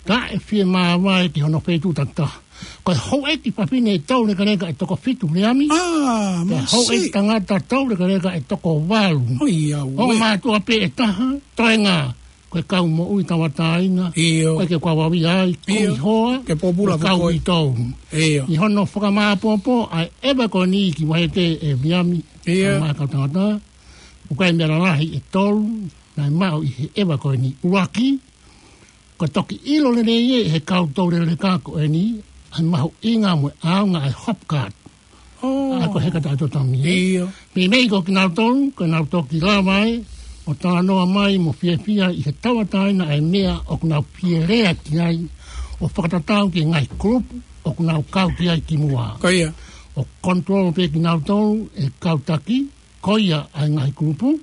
kae fie māvae ki hono feituʻu takitaha. Ko e houʻeiki fafine toulekeleka ʻe toko fitu, Viliami. ʻĀ, pea houʻeiki tangata toulekeleka ʻe toko valu. ʻOi, ia, ʻo mātuʻa pē ʻe taha, toenga ko e kau moʻui tauʻatāina. Ia. Ko e ke kau vavia ai, ia, kumi hoa, ke pōpula mo e kau foʻi uitou. Ia. ʻI hono fakamāʻopoʻopo ʻa e ʻeva ko eni ki Vaiheke, ʻe Viliami, ia, kae ʻumaʻā e kau tangata, ʻoku ʻi ai e meʻa lalahi ʻe tolu naʻe maʻu ʻi he ʻeva ko eni. ʻUluaki, ko e toki ʻilo lelei ʻe he kau toulekeleka ko eni ʻa e mahuʻinga mo e ʻaonga ʻa e Hopcard. ʻŌ. ʻA ia ko e heka taʻetotongi, ē? Ia. Meimei ko kinautolu, ko ʻenau toki lava ʻo talanoa mai mo fiefia ʻi he tauʻatāina ʻa e meʻa ʻoku nau fie lea ki ai, ʻo fakatatau ki he ngaahi kulupu ʻoku nau kau ki ai kimuʻa. Ko ia. ʻOku control pē kinautolu ʻe he kau taki ko ia ʻa e ngaahi kulupu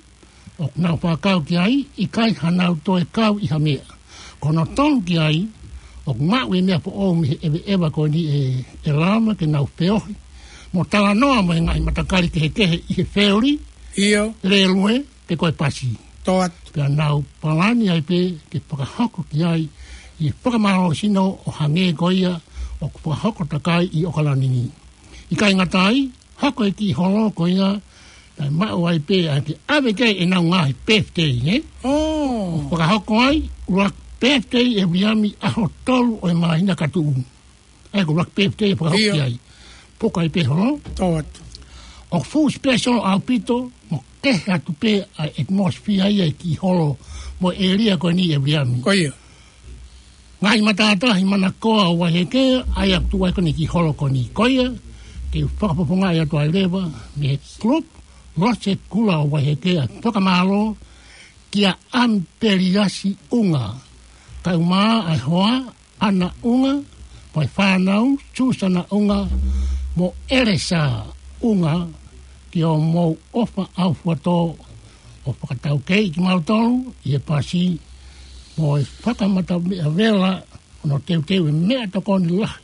ʻoku nau fakakau ki ai, ʻikai haʻanau toe kau ʻi ha meʻa. Ko hono tolu ki ai, ʻoku maʻu e meʻa foʻou mei he ʻeveʻeva ko eni ʻe, ʻe lava ke nau feohi mo talanoa mo e ngaahi matakali kehekehe ʻi he feoli, ia, lēlue, pe ko e pasi. Tō atu. Pea nau palani ai pē ke fakahoko ki ai ʻi he fakamālohisino ʻo hangē ko ia ʻoku fakahoko takai ʻi ʻAokalani ni. ʻIkai ngata ai, hoko e kiʻi holo ko ia naʻe maʻu ai pē ʻa e ke ʻave ki ai ʻenau ngaahi birthday, ē? ʻŌ. Fakahoko ai, ʻuluaki birthday ʻe Viliami, ʻaho tolu ʻo e māhina ka tuʻu. ʻA ia ko e ʻuluaki birthday ʻe fakahoko, ia, ki ai. Puka ai pē holo. Tō atu. ʻOku fuʻu special ʻaupito, mo kehe atu pē ʻa e atmosphere ia ʻi he kiʻi holo mo e ʻēlia ko eni, ʻe Viliami. Ko ia. Ngaahi matātahi manakoa ʻo Vaiheke, ʻa ia ʻoku tuʻu ai ko eni e kiʻi holo ko eni. Ko ia, te u fakafofongaʻi atu ai leva mei he kulupu Lose Kula ʻo Vaiheke ʻa e fakamālō kia ʻAmipeliasi ʻUnga, kae ʻumaʻā e hoa, ʻAna ʻUnga, mo e fānau, Susana ʻUnga mo ʻElesa ʻUnga, ki hoʻomou ʻofa ʻaufuatō ʻo fakataukei kimautolu ʻi he pasi, mo e fakamata meʻa vela hono teuteu e meʻatokoni lahi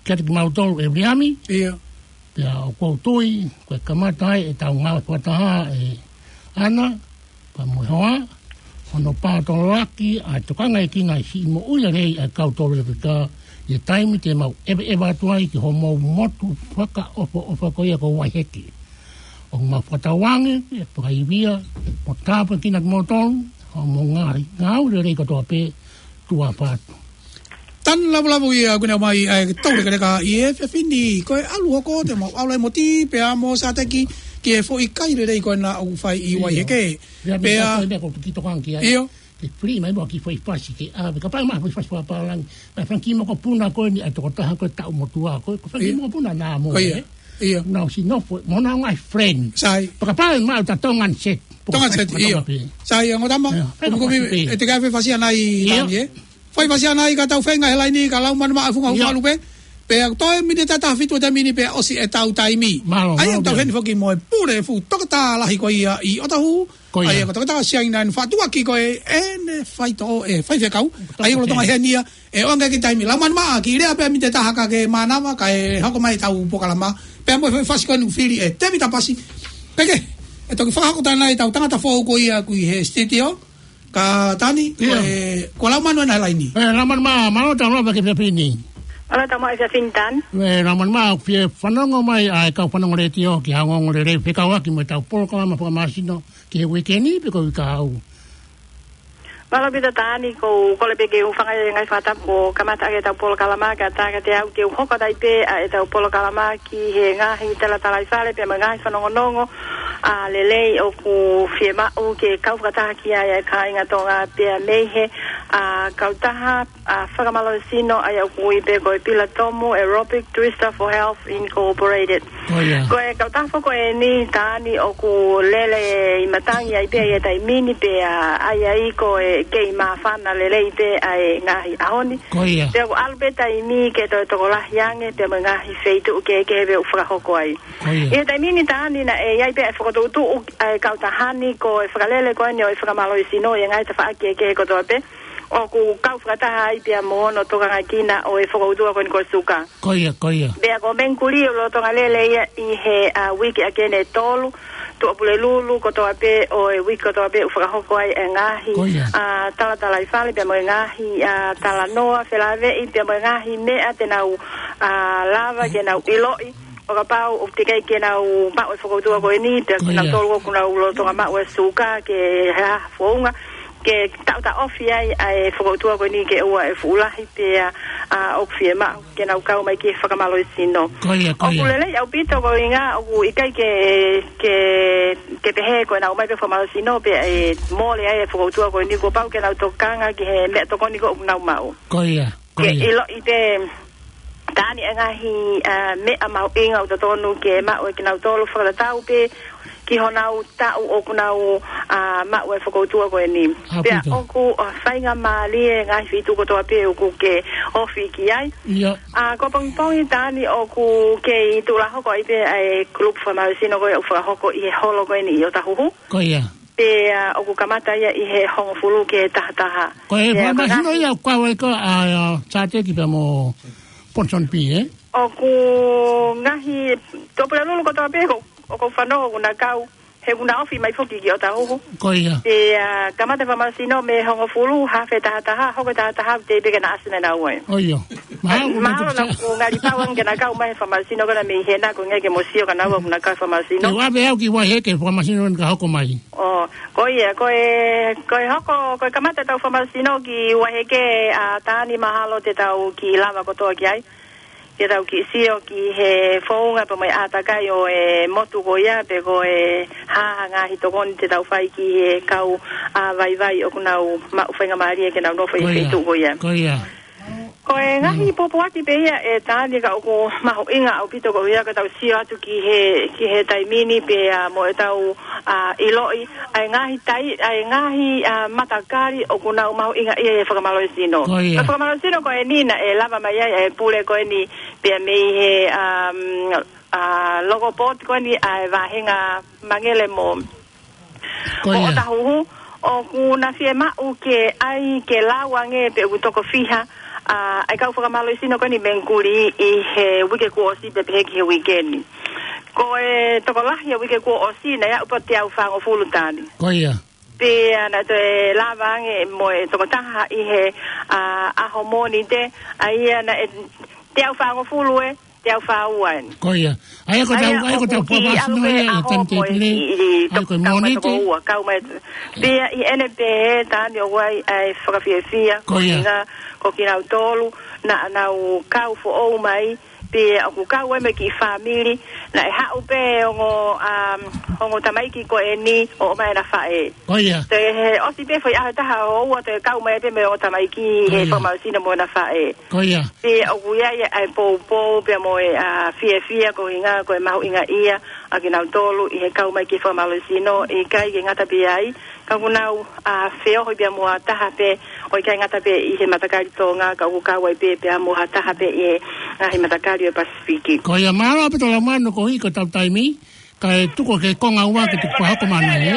kiate kimautolu, ʻe Viliami. Ia. Pea ʻoku ou tui ko e kamata ai ʻetau ngāue fakataha, ʻe ʻAna, pea mo e hoa, hono paotoloaki ʻa e tokangaekina ʻi he siʻi moʻui lelei ʻa e kau toulekeleka ʻi he taimi te mau ʻeveʻeva atu ai ki homou motu fakaʻofoʻofa ko ia ko Vaiheke. ʻOku mau fakatauange ke fakaivia mo tāpuekina kimoutolu, hoʻomou ngaahi ngāue lelei kotoa pē, tuʻa ʻapaʻapa atu. Tanu lavulavu ia, ʻoku ne ʻomai ʻa e toulekeleka ʻi he efiafi ni. Ko e ʻalu hoko, te mau ʻalu ai mo Ti pea mo Sateki ki he foʻi kai lelei ko ena ʻoku fai ʻi, ʻio, Vaiheke. Ia, pea, meʻa ko e meʻa ko e tuki tokanga ki ai. ʻIo. Ke free mai mo e kiʻi foʻi pasi ke ʻave. Kapau ʻe maʻu e foʻi pasi fakapālangi, ʻa e fanga kiʻi mokopuna ko eni ʻa e tokotaha ko e taʻu motuʻa ko ē, ko e fanga kiʻi, ʻio, mokopuna naʻa mo, ko ia, ē? ʻIo. Nau sino fo, mo nau ngaahi friend. Sai. Pea kapau ʻe maʻu ʻe tautolu e Tongan set. Tongan set, ʻio. Sai, ʻa Ngotama, ʻio, fai, kuku, kuku, fasi pē. ʻE te ke ʻave fasi ʻanai, ʻio, Tani, ē? Fai fasi ʻanai ka tau feinga he laini ka lau manu maʻa funga, ʻio, hualu pē. Pea toe miniti ʻe taha fitu ʻa e taimi ni pea ʻosi ʻetau taimi. Mālō, ʻa ia mālō ʻoku tau pē heni foki mo e pule fuʻu toketā lahi ko ia ʻi ʻOtahuhu. Ko ia. ʻA ia ko e toketā Siaina ni, faʻa tuʻuaki ko e ʻene faitoʻo e faifekau. ʻA ia ko e lolotonga heni ia, ʻe ʻoange ki he taimi. Lau manu maʻa, kiʻi lea pē miniti ʻe taha ka ke mānava, kae hoko mai ʻetau polokalama. Pea mo e foʻi fasi ko eni ʻoku fili ʻe Tēvita Pasi. Pea ke, ʻe toki fakahoko atu ʻetau tangata foʻou ko ia ʻoku ʻi he sititio. Ka Tani, ʻIo. ʻe, ko Laumanu ena he laini. ʻE, Laumanu mā, mālō tau lava ki he efiafi ni. Mālō tau maʻu e efiafi ni Tani. ʻE, Laumanu mā, ʻoku fie fanongo mai ʻa e kau fanongo letiō ki he ongoongo lelei fekauʻaki mo ʻetau polokalama fakamālohisino ki he uike ni pe ko e uike kahaʻu. Mālō ʻaupito Tani, ʻoku ou kole pē ke u hūfanga he ngaahi fakatapu kuo kamata ʻaki ʻetau polokalama, kae ʻatā kiate au ke u hoko atu ai pē ʻa ʻetau polokalama ki he ngaahi talatalaifale pea mo e ngaahi fanongonongo, ʻa, lelei ʻoku fiemaʻu ke kau fakataha ki ai ʻa e kāinga Tonga pea mei he, ʻa, kautaha, ʻa, fakamālohisino ʻa ia ʻoku ui pē ko e Pila Tomu Aerobic Twister for Health Incorporated. Ko ia. Ko e kautaha foki eni Tani ʻoku lele ʻi matangi ai pē ʻi he taimi ni pea ʻai ai ko e kei māfana lelei pē ʻa e ngaahi ʻaho ni. Ko ia. Pea ʻoku ʻalu pē taimi ke toe tokolahi ange pea mo e ngaahi feituʻu kehekehe pē ʻoku fakahoko ai. Ko ia. ʻI he taimi ni Tani naʻe ʻi ai pē ʻa e fokotuʻutuʻu ʻa e kautaha ni ko e fakalele ko eni ʻo e fakamālohisino ʻi he ngaahi tafaʻaki kehekehe kotoa pē. ʻOku kau fakataha ai pea mo hono tokangakina ʻo e fokoutua ko eni ko e suka. Ko ia, ko ia. Pea ko Mengkuli ʻoku lolotonga lele ia ʻi he, ʻa, uike ʻaki ʻene tolu, Tuʻapulelulu kotoa pē ʻo e uike kotoa pē ʻoku fakahoko ai e ngaahi, Ko ia. ʻa, talatalaifale pea mo e ngaahi, ʻa, talanoa felāveʻi pea mo e ngaahi meʻa te nau, ʻa, lava ke nau ʻiloʻi. ʻO kapau ʻoku teʻeki ai ke nau maʻu e fokoutua ko eni, pea Ko ia. kinautolu ʻoku nau lolotonga maʻu e suka ke hā founga, ke taʻotaʻofi ai ʻa e fokoutua ko eni ke ʻoua ʻe fuʻu lahi pea, ʻa, ʻoku fiemaʻu ke nau kau mai ki he fakamālohisino. Ko ia, ko ʻOku ia. lelei ʻaupito koeʻuhinga ʻoku ʻikai ke, ke, ke pehē ko ʻenau ō mai pē fakamālohisino pea ʻe mole ai e fokoutua ko eni, kuo pau ke nau tokanga ki he meʻatokoni ko ē ʻoku nau maʻu. Ko ia, ko Ke ia. ʻiloʻi pē Tani e ngaahi, ʻa, meʻa mahuʻinga ʻoku totonu ke maʻu ʻe kinautolu fakatatau pē ki honau taʻu ʻoku nau, ʻa, maʻu e fokoutua ko eni. ʻAupito. Pea ʻoku, ʻa, faingamālie ngaahi feituʻu kotoa pē ʻoku ke ofi ki ai. ʻIo. ʻA, ko e pongipongi Tani ʻoku kei tuʻulahoko ai pē ʻa e kulupu fakamālohisino ko ē ʻoku fakahoko ʻi he holo ko eni ʻi ʻOtahuhu. Ko ia. Pea ʻoku kamata ia ʻi he hongofulu ki he tahataha. Ko e Pea ko e fakamālohisino ngaahi ia ʻoku kau ai ko ā, ʻa, Sateki pea mo Ponson P, ē? ʻOku ngaahi Tuʻapulelulu kotoa pē ko, ʻoku ou fanongo ʻoku na kau, he ʻoku na ofi mai foki ki ʻOtahuhu. Ko ia. Pea kamata fakamālohisino mei he hongofulu, hafe tahataha, hoko tahataha, teʻeki pē ke na ʻasi naʻa nau ʻi ai. ʻOi, ʻio. Mahalo, Mahalo mahalo naʻa ku ngali pau ange ke na kau mai he fakamālohisino ko ena mei hena ko e ʻikai ke mou sio kia naua ʻoku na kau he fakamālohisino. Te u ʻave au ki Vaiheke he fakamālohisino ka hoko mai. ʻO, ko ia, ko e, ko e hoko, ko e kamata ʻetau fakamālohisino ki Vaiheke, ʻa, Tani mahalo te tau kiʻi lava kotoa ki ai. Ke tau kiʻi sio ki he founga pea mo e ʻātakai ʻo e motu ko ia pe ko e hā ha ngaahi tokoni te tau fai ki he kau, ʻa, vaivai ʻoku nau maʻu faingamālie ke nau nofo ʻi he Ko ia. feituʻu ko ia. Ko ia. Ko e ngaahi Mm. pōpoaki pē ia ʻe Tani ka ʻoku mahuʻinga ʻaupito ko ia ke tau sio atu ki he, ki he taimi ni pea mo ʻetau, ʻa, ʻiloʻi ʻa e ngaahi tai-, ʻa e ngaahi, ʻa, matakali ʻoku nau mahuʻinga ʻi he fakamālohisino. Ko ia. Ko e fakamālohisino ko eni naʻe lava mai ai ʻa e pule ko eni pea mei he, um, ʻa, logo board ko eni ʻa e vāhenga Mangele mo Ko ʻo ia. ʻOtahuhu, ʻoku na fiemaʻu ke ʻai ke lau ange pe ʻoku toko fiha, ʻa, ʻa e kau fakamālohisino ko eni Mengkuli ʻi he uike kuo ʻosi pea pehē ki he uike ni. Ko e tokolahi ʻo e uike kuo ʻosi naʻe aʻu pē teau fāngofulu Tani. Ko ia. Pea naʻe toe lava ange mo e tokotaha ʻi he, ʻa, ʻaho Mōnite, ʻa ia naʻe teau fāngofulu ē, teau fāua eni. Ko ia. ʻA ia ko ʻetau, ʻa ia ko ʻetau ʻoku kiʻi fakamālohisino ʻalu pē ia, ʻa e ʻaho ko e taimi tēpile. kiʻi, ʻA ia ko e kau mai Mōnite. toko ua, kau mai. Pea ʻi heʻene pehē Tani ʻoku ʻi ai ʻa e fakafiefia, Ko ia. koeʻuhinga ko kinautolu naʻa nau kau foʻou mai, pea ʻoku kau ai mo e kiʻi fāmili, naʻe haʻu pē ongo, um, ongo tamaiki ko eni ʻo ʻomai ʻena faʻē. Ko ia. Toe ʻosi pē foʻi ʻaho ʻe taha ʻo ua toe kau mai pē mo e ongo tamaiki Ko he ia. fakamālohisino mo ʻena faʻē. Ko ia. Pea ʻoku ʻi ai ʻa e poupou pea mo e, ʻa, fiefia koeʻuhinga ko e mahuʻingaʻia ʻa kinautolu ʻi he kau mai ki he fakamālohisino, ʻikai ke ngata pē ai, ka ʻoku nau, ʻa, feohi pea mo ha taha pē, ʻo ʻikai ngata pē ʻi he matakali Tonga, ka ʻoku kau ai pē pea mo ha taha pē ʻi he, Ngaahi matakali ʻo e Pasifiki. Ko ia mālō ʻaupito Laumanu koeʻuhi ko ʻetau taimi, kae tuku ke konga ua ke tuku fakahoko mai ē.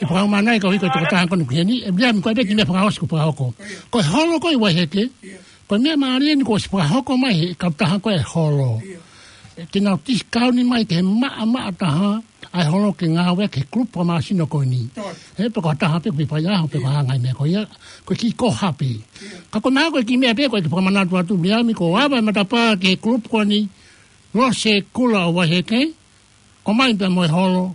ʻE fakahoko mai koeʻuhi ko e tokotaha ko eni ki heni, ʻe Viliami ko e pē kiʻi meʻa fakaʻosi kuo fakahoko. Ko e holo ko ē ʻi Vaiheke. Ko e meʻa mālie eni kuo ʻosi fakahoko mai ʻe he kautaha ko ē holo. ʻE, ke nau discount mai ki he maʻamaʻa taha, ʻa e holo ke ngāueʻaki ʻe he kulupu fakamāsino ko eni. He pe ko ha taha pē kuo fai ʻaho pe ko ha ngaahi meʻa ko ia, ko e kiʻi koha pē. Ka ko e meʻa ko e kiʻi meʻa pē ko e kiʻi fakamanatu atu Viliami ko e ava e matapā ki he kulupu ko eni, Lose Kula ʻo Vaiheke, ʻomai pē mo e holo,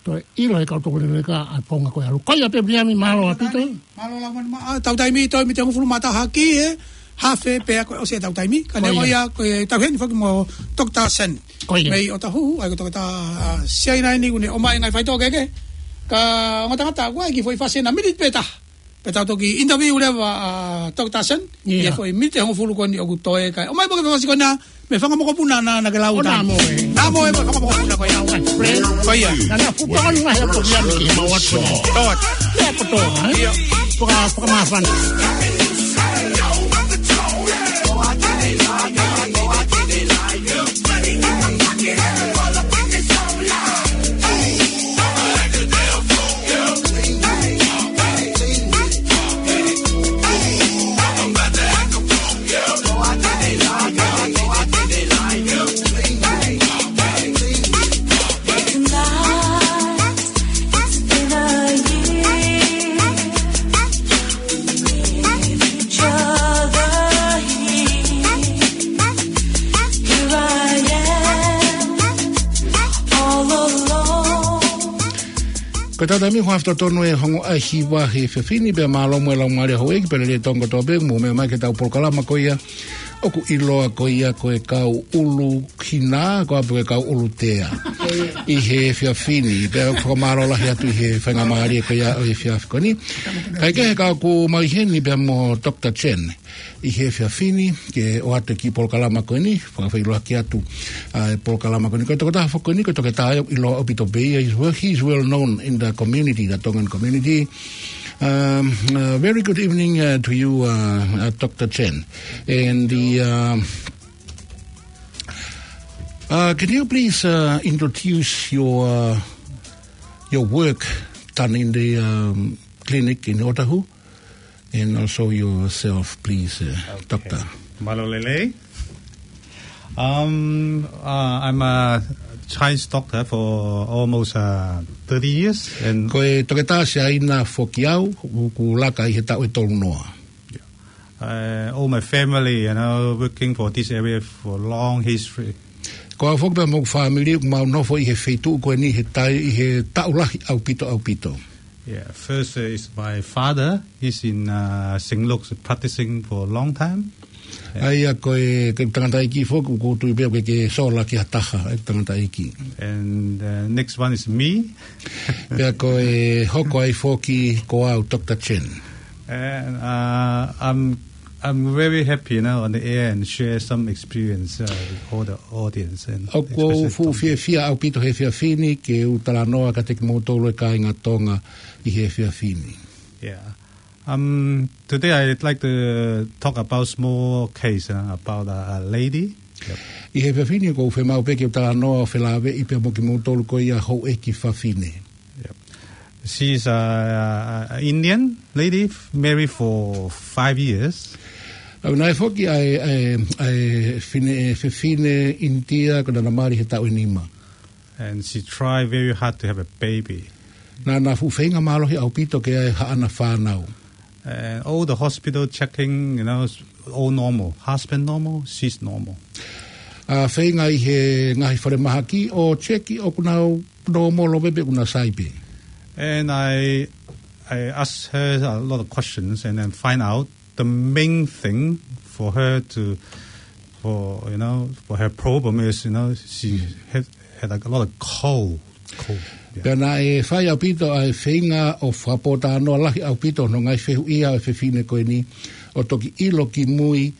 toe ʻilo ʻe he kau tokoni leka ʻa e founga ko ē ʻalu. Ko ia pē Viliami mālō ʻaupito. Mālō Laumanu, ma-, ʻa, tau taimi toe miniti hongofulu mā taha ki he hafe pea kuo ʻosi ʻetau taimi. Ka neongo ia, ko e tau heni foki mo Doctor Sen. Ko ia. Mei ʻOtahuhu, ʻa ia ko e toketā, ʻa, Siaina eni kuo ne ʻomai ngaahi faitoʻo kehekehe. Ka ongo tangata, ʻoku ʻi ai e kiʻi foʻi fasi ʻena miniti pē taha. Pea tau toki interview leva ʻa Doctor Sen. Ia. ʻI he foʻi miniti hongofulu ko eni ʻoku toe kae ʻomai pē ke fasi ko ena, mei he fanga mokopuna naʻa, naʻa ke lau ʻo ʻana. Naʻa mo ē. Naʻa mo ē, mo e fanga mokopuna ko ia. Ko ia. Naʻa na fupa ʻana he ʻoku ia ki he mau atu. Tō atu. Ia ko tō, ē? Ia. Faka-, fakamāfana. Ko e tau taimi ko e hafe totonu e ongo ʻaho ʻi he efiafi ni pea mālō mo e laumālie houʻeiki pea lelei tonga kotoa pē mou meʻa mai ki heʻetau polokalama ko ia ʻoku ʻiloa ko ia ko e Kau ʻUlu Hina, ko e ʻapi ko e Kau ʻUlu Tea. ʻI he efiafi ni, pea ʻoku fakamālō lahi atu ʻi he faingamālie ko ia ʻo e efiafi ko eni. Kae kehe ka ʻoku mau ʻi heni pea mo Doctor Chen. ʻI he efiafi ni, ke ʻoatu e kiʻi polokalama ko eni, fakafeʻiloaki atu, ʻa, e polokalama ko eni. Ko e tokotaha foki ko eni, ko e toketā ia ʻoku ʻiloa ʻaupito pē ia, he's well, he's well known in the community, the Tongan community. Um, uh, very good evening, uh, to you, uh, uh, Doctor Chen. And the, uh, uh, can you please, uh, introduce your, uh, your work done in the, um, clinic in Otahu? And also yourself, please, uh, Okay. Doctor. Mālō lelei. Um, uh, I'm a Chinese doctor for almost, uh, thirty years, and Ko e toketā Siaina foki au, ʻoku laka ʻi he taʻu ʻe tolu noa. Uh, all my family, you know, working for this area for long history. Ko au foki pea mo hoku fāmili, ʻoku mau nofo ʻi he feituʻu ko eni he tai, ʻi he taʻu lahi ʻaupito, ʻaupito. Yeah, first, uh, is my father. He's in, uh, Saint Luke's practicing for a long time. ʻA ia ko e, ko e tangataʻeiki foki, ʻoku ou tui pē ʻoku ke sola ki ha taha, e tangataʻeiki. And, uh, next one is me. Pea ko e hoko ai foki ko au, Doctor Chen. And, uh, I'm, I'm very happy, you know, on the air and share some experience, uh, with all the audience and ʻOku ou especially fuʻu Tonga. Fiefia ʻaupito he efiafi ni ke u talanoa kiate kimoutolu e kāinga Tonga ʻi he efiafi ni. Yeah. Um, today I'd like to talk about small case, uh, about a, a lady. Yep. ʻI he efiafi ni ʻoku ou fiemaʻu pē ke u talanoa ʻo felāveʻi pea mo kimoutolu ko ia houʻeiki fafine. Yep. She's a, a, a Indian lady, f-, married for five years. ʻA ia naʻe foki ʻa e, ʻa e, ʻa e fine, fefine ʻInitia ko ʻena naʻe mali he taʻu ʻe nima. And she tried very hard to have a baby. Naʻá na fuʻu feinga mālohi ʻaupito ke ʻi ai haʻana fānau. And all the hospital checking, you know, all normal. Husband normal, she's normal. ʻA feinga ʻi he ngaahi falemahaki ʻo checki ʻoku nau nōmolo pē pe ʻoku nau sai pē. And I, I asked her a lot of questions and then find out the main thing for her to, for, you know, for her problem is, you know, she had, had a lot of cold, cold. Yeah. Pea naʻe fai ʻaupito ʻa e feinga ʻo fakapōtalanoa lahi ʻaupito hono ngaahi fehuʻi ʻa e fefine ko eni ʻo toki ʻilo ki mui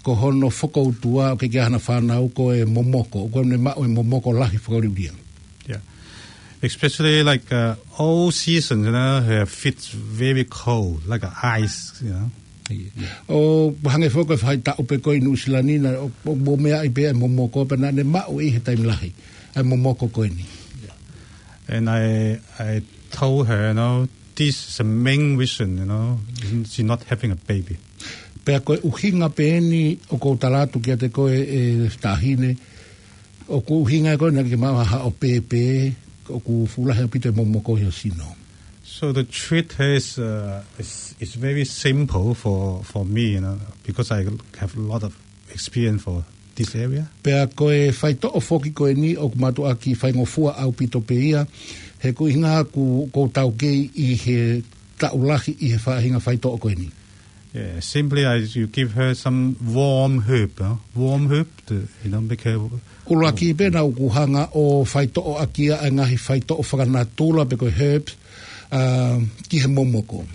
ko hono fokoutua ʻoku ʻikai ke ʻi ai hana fānau ko e momoko, ʻoku ne maʻu e momoko lahi fakaliulia. Yeah. Especially like, uh, all seasons, you know, her feet's very cold, like a ice, you know. ʻO hangē foki ko e faʻahitaʻu pē ko ē ʻi Nuʻusila ni naʻe, ʻo, ʻo mo meaʻi pē ʻa e momoko pea naʻa ne maʻu ʻi he taimi lahi ʻa e momoko ko eni. And I, I told her, you know, this is the main reason, you know, she's not having a baby. Pea ko e ʻuhinga pē eni ʻoku ou tala atu kiate koe, ʻe Taʻahine, ʻoku ʻuhinga ko ē naʻa ke maʻu ha haʻo pēpē, ʻoku fuʻu lahi ʻaupito e momoko ʻi ho sino. So the treat is, uh, is, is very simple for, for me, you know, because I have a lot of experience for this area. Pea ko e faitoʻo foki ko eni ʻoku mātuʻaki faingofua ʻaupito pē ia, he ko e ʻuhinga ʻoku, ʻoku ou taukei ʻi he taʻu lahi ʻi he faʻahinga faitoʻo ko eni. Yeah, simply I, you give her some warm herb, huh? Warm herb to, you know, make her. ʻUluaki pē naʻa ku hanga ʻo faitoʻo ʻaki ia ʻa e ngaahi faitoʻo fakanatula pe ko e herbs, uh, ki he momoko.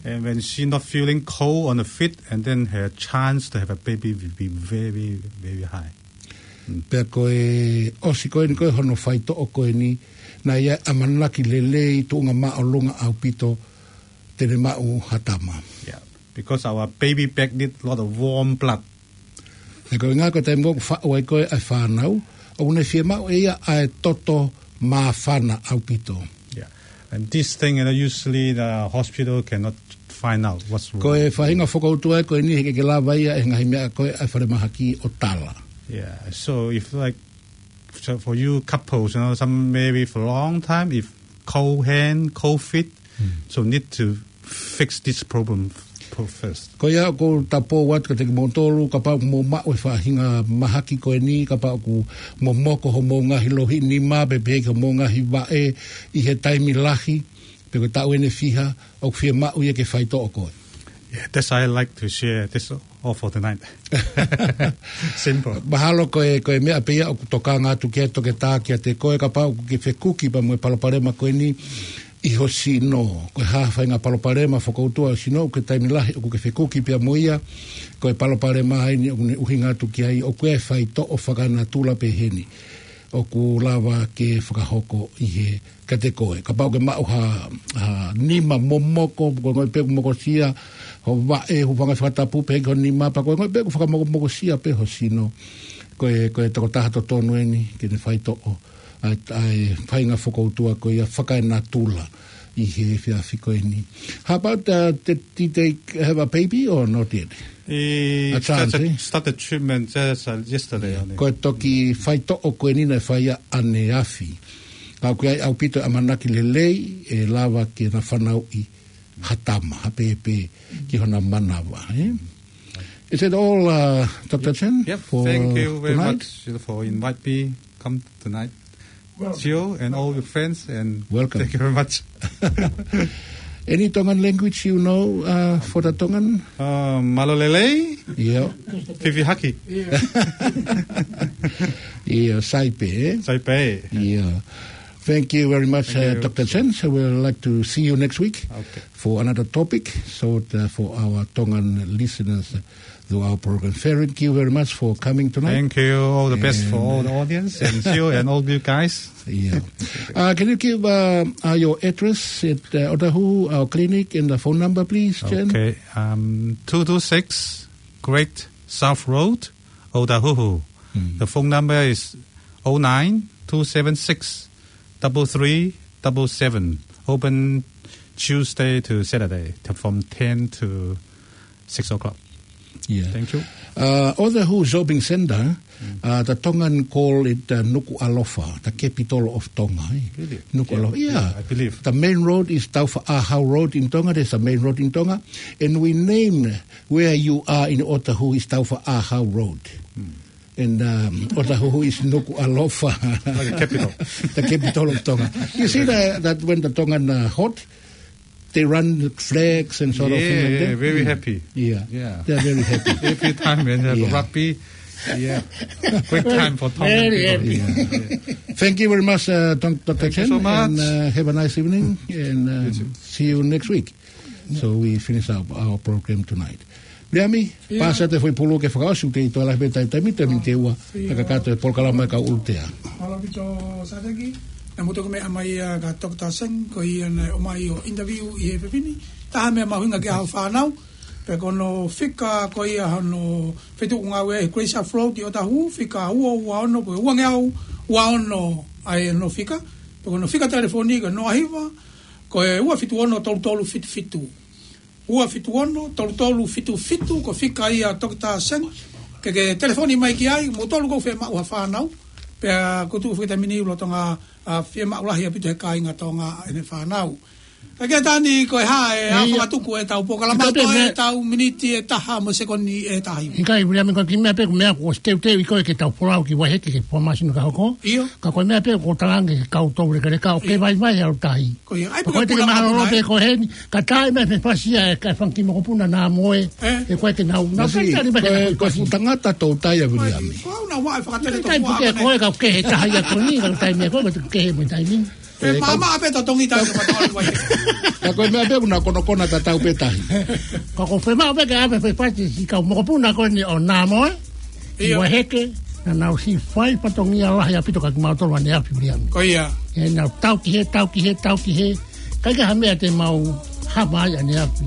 And when she not feeling cold on the feet, and then her chance to have a baby will be very, very high. Pea ko e ʻosi ko eni ko ē hono faitoʻo ko eni, naʻe ʻi ai e ʻamanaki lelei tuʻunga māʻolunga ʻaupito te ne maʻu ha tama. Yeah, because our baby back need a lot of warm blood. He ko e ʻuhinga ko e taimi ʻoku faʻu ai ko ē ʻa e fānau, ʻoku ne fiemaʻu ʻe ia ʻa e toto māfana ʻaupito. Yeah. And this thing, you know, usually the hospital cannot find out what's wrong. Ko e faʻahinga fokoutua ko eni he ʻikai ke lava ia ʻe he ngaahi meʻa ko ē ʻa e falemahaki ʻo tala. Yeah. So if, like, so for you couples, you know, some married for a long time, if cold hand, cold feet, so need to fix this problem f-, first. Ko ia ʻoku ou tapou atu kiate kimoutolu, kapau ʻoku mou maʻu e faʻahinga mahaki ko eni, kapau ʻoku momoko homou ngaahi lohi nima, pe pehē ki homou ngaahi vaʻe ʻi he taimi lahi, pe ko e taʻu ʻe fiha, ʻoku fiemaʻu ia ke faitoʻo koe. Yeah, that's I like to share. That's all for tonight. Simple. Mahalo ko e, ko e meʻa pē ia ʻoku tokanga atu ki ai ʻa e toketā kiate koe, kapau ʻoku ke fekuki pea mo e palopalema ko eni ʻi ho sino. Ko e hā ha faʻahinga palopalema fokoutua ho sino, ʻoku ʻi ai e taimi lahi ʻoku ke fekuki pea mo ia, ko e palopalema eni ʻoku ne ʻuhinga atu ki ai, ʻoku ʻi ai e faitoʻo fakanatula peheni ʻoku lava ke fakahoko ʻi he kiate koe. Kapau ʻoku ke maʻu ha, ha nima momoko, ko e ʻuhinga pē ʻoku mokosia ho vaʻe, hūfanga he fakatapu pē ki ho nima, pe ko e ʻuhinga pē ʻoku fakamokomokosia pē ho sino. Ko e, ko e tokotaha totonu eni ke ne faitoʻo ʻa e, ʻa e faʻahinga fokoutua ko ia fakanatula ʻi he efiafi ko eni. How about, uh, did, did they have a baby or not yet? He A chance, started, eh? started treatment just, uh, yesterday only. Ko e toki faitoʻo ko eni naʻe fai ʻaneafi. Ka ʻoku ʻi ai ʻaupito e ʻamanaki lelei ʻe lava ke na fanauʻi ha tama, ha pēpē ki hona manava, eh? Is that all, uh, Doctor Chen, Yep, for thank you very tonight? much for invite me come tonight. Well, Gio and all your friends, and Welcome. thank you very much. Any Tongan language you know, uh, for the Tongan? Uh, mālō e lelei. Yeah. Fifi haki. Yeah, sai pē, eh? Sai pē. Yeah. Thank you very much, Thank uh, you. Doctor Chen. So we'd like to see you next week Okay. for another topic, so, uh, for our Tongan listeners, uh, to our program. Thank you very much for coming tonight. Thank you. All the best for And, all the uh, audience and Gio and all you guys. Yeah. Uh, can you give, uh, uh, your address at, uh, Otahuhu, our clinic, and the phone number, please, Chen? Okay. Um, two two six Great South Road, Otahuhu. Mm. The phone number is oh nine two seven six double three double seven. Open Tuesday to Saturday t-, from ten to six o'clock. Yeah. Thank you. Uh, Otahuhu Shopping Centre, Mm. uh, the Tongan call it, uh, Nukuʻalofa, the capital of Tonga, eh? Really? Nukuʻalofa, Yeah, yeah. yeah, I believe. The main road is Taufaʻāhau Road in Tonga. There's a main road in Tonga. And we name where you are in Otahuhu is Taufaʻāhau Road. Mm. And, um, Otahuhu is Nukuʻalofa. Like a capital. The capital of Tonga. You see that, that when the Tongan, uh, hot, they run flags and sort of Yeah, thing like yeah, that? very Mm. happy. Yeah. Yeah. They're very happy. Every time when they have Yeah. rugby, yeah. Great time for Tongan Very people. happy. Yeah. Thank you very much, uh, Don-, Doctor Thank you Chen, so much. and, uh, have a nice evening, and, um, You too. see you next week. So we finish up our program tonight. Leami, Yeah. pasa te foʻi pulu ke fakaʻosi ʻoku te ʻi toa lahi pē tai taimi te mini te ua, Ia. ka kakato e polokalama e kau ʻulutea. Mālō ʻaupito Sateki, naʻa mou toki meʻa mai ʻa ka Doctor Seng, ko ia naʻe ʻomai ʻo interview ʻi he efiafi ni. Taha meʻa mahuʻinga ki ai hoʻo fānau, Pea ko hono fika ko ia hono fetuʻu ngāue ʻa Grace Afloat ʻi ʻOtahuhu, fika ua ua ono, ko e ua ngeau ua ono ʻa hono fika. Pea ko hono fika telefoni ko e noa hiva, ko e ua fitu ono tolu tolu fitu fitu. Ua fitu ono tolu tolu fitu fitu, ko e fika ia ʻa Toketā Sen. Ke ke telefoni mai ki ai, motolu ʻoku fiemaʻu ha fānau. Pea ʻoku tuʻu fakataimini lolotonga, ʻa, fiemaʻu lahi ʻaupito he kāinga Tonga ʻene fānau. Ka ke tani ko e hā e, ʻa, fakatuku ʻetau polokalama, ʻikai pē meʻa ʻetau miniti ʻe taha mo e sekoni ʻe taha. ʻIkai, Viliami, ko e kiʻi meʻa pē, ko e meʻa ko e teuteu ʻi ko e ke tau folau ki Vaiheke ke fua māsina ka hoko. ʻIo. Ka ko e meʻa pē ko e talaange ke kau tou lekaleka ʻo ke vaivai ʻa e tahi. Ko ia, ʻai pē ko e te ke mahalo pē ko heni, ka tae mai fefasi ʻa e ka fanga kiʻi mokopuna naʻa mo e, ʻe ko e ke nau, nau kai tali mai ko e, ko e fuʻu tangata tou tai ʻa Viliami. Ko au na wa e fakatele to kai pē ke ko e kau kehe tahi ʻa ko ni, kau taimi ko e, kau kehe mo taimi. Pea mama pē totongi tahi ka patoa ai. Ka ko e meʻa pē ʻoku na konokona tatau pē tahi. Ka ko e fema pē ke ʻave fefasi siʻi kau mokopuna ko eni ʻo naʻa mo e. ʻIo. Vaiheke, naʻa nau siʻi fai fatongia lahi ʻaupito kia kimautolu ʻaneafi, Viliami. Ko ia. ʻE nau tau ki he, tau ki he, tau ki he. ʻIkai ke ha meʻa te mau hama ai ʻaneafi.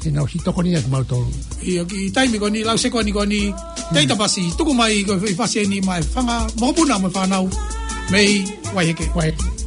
ʻE nau siʻi tokoni kia kimautolu. ʻIo, kiʻi taimi ko eni, lau sekoni ko eni, tei tapasi, tuku mai ko e fefasi eni maʻa e fanga mokopuna mo e fānau mei Vaiheke. Vaiheke.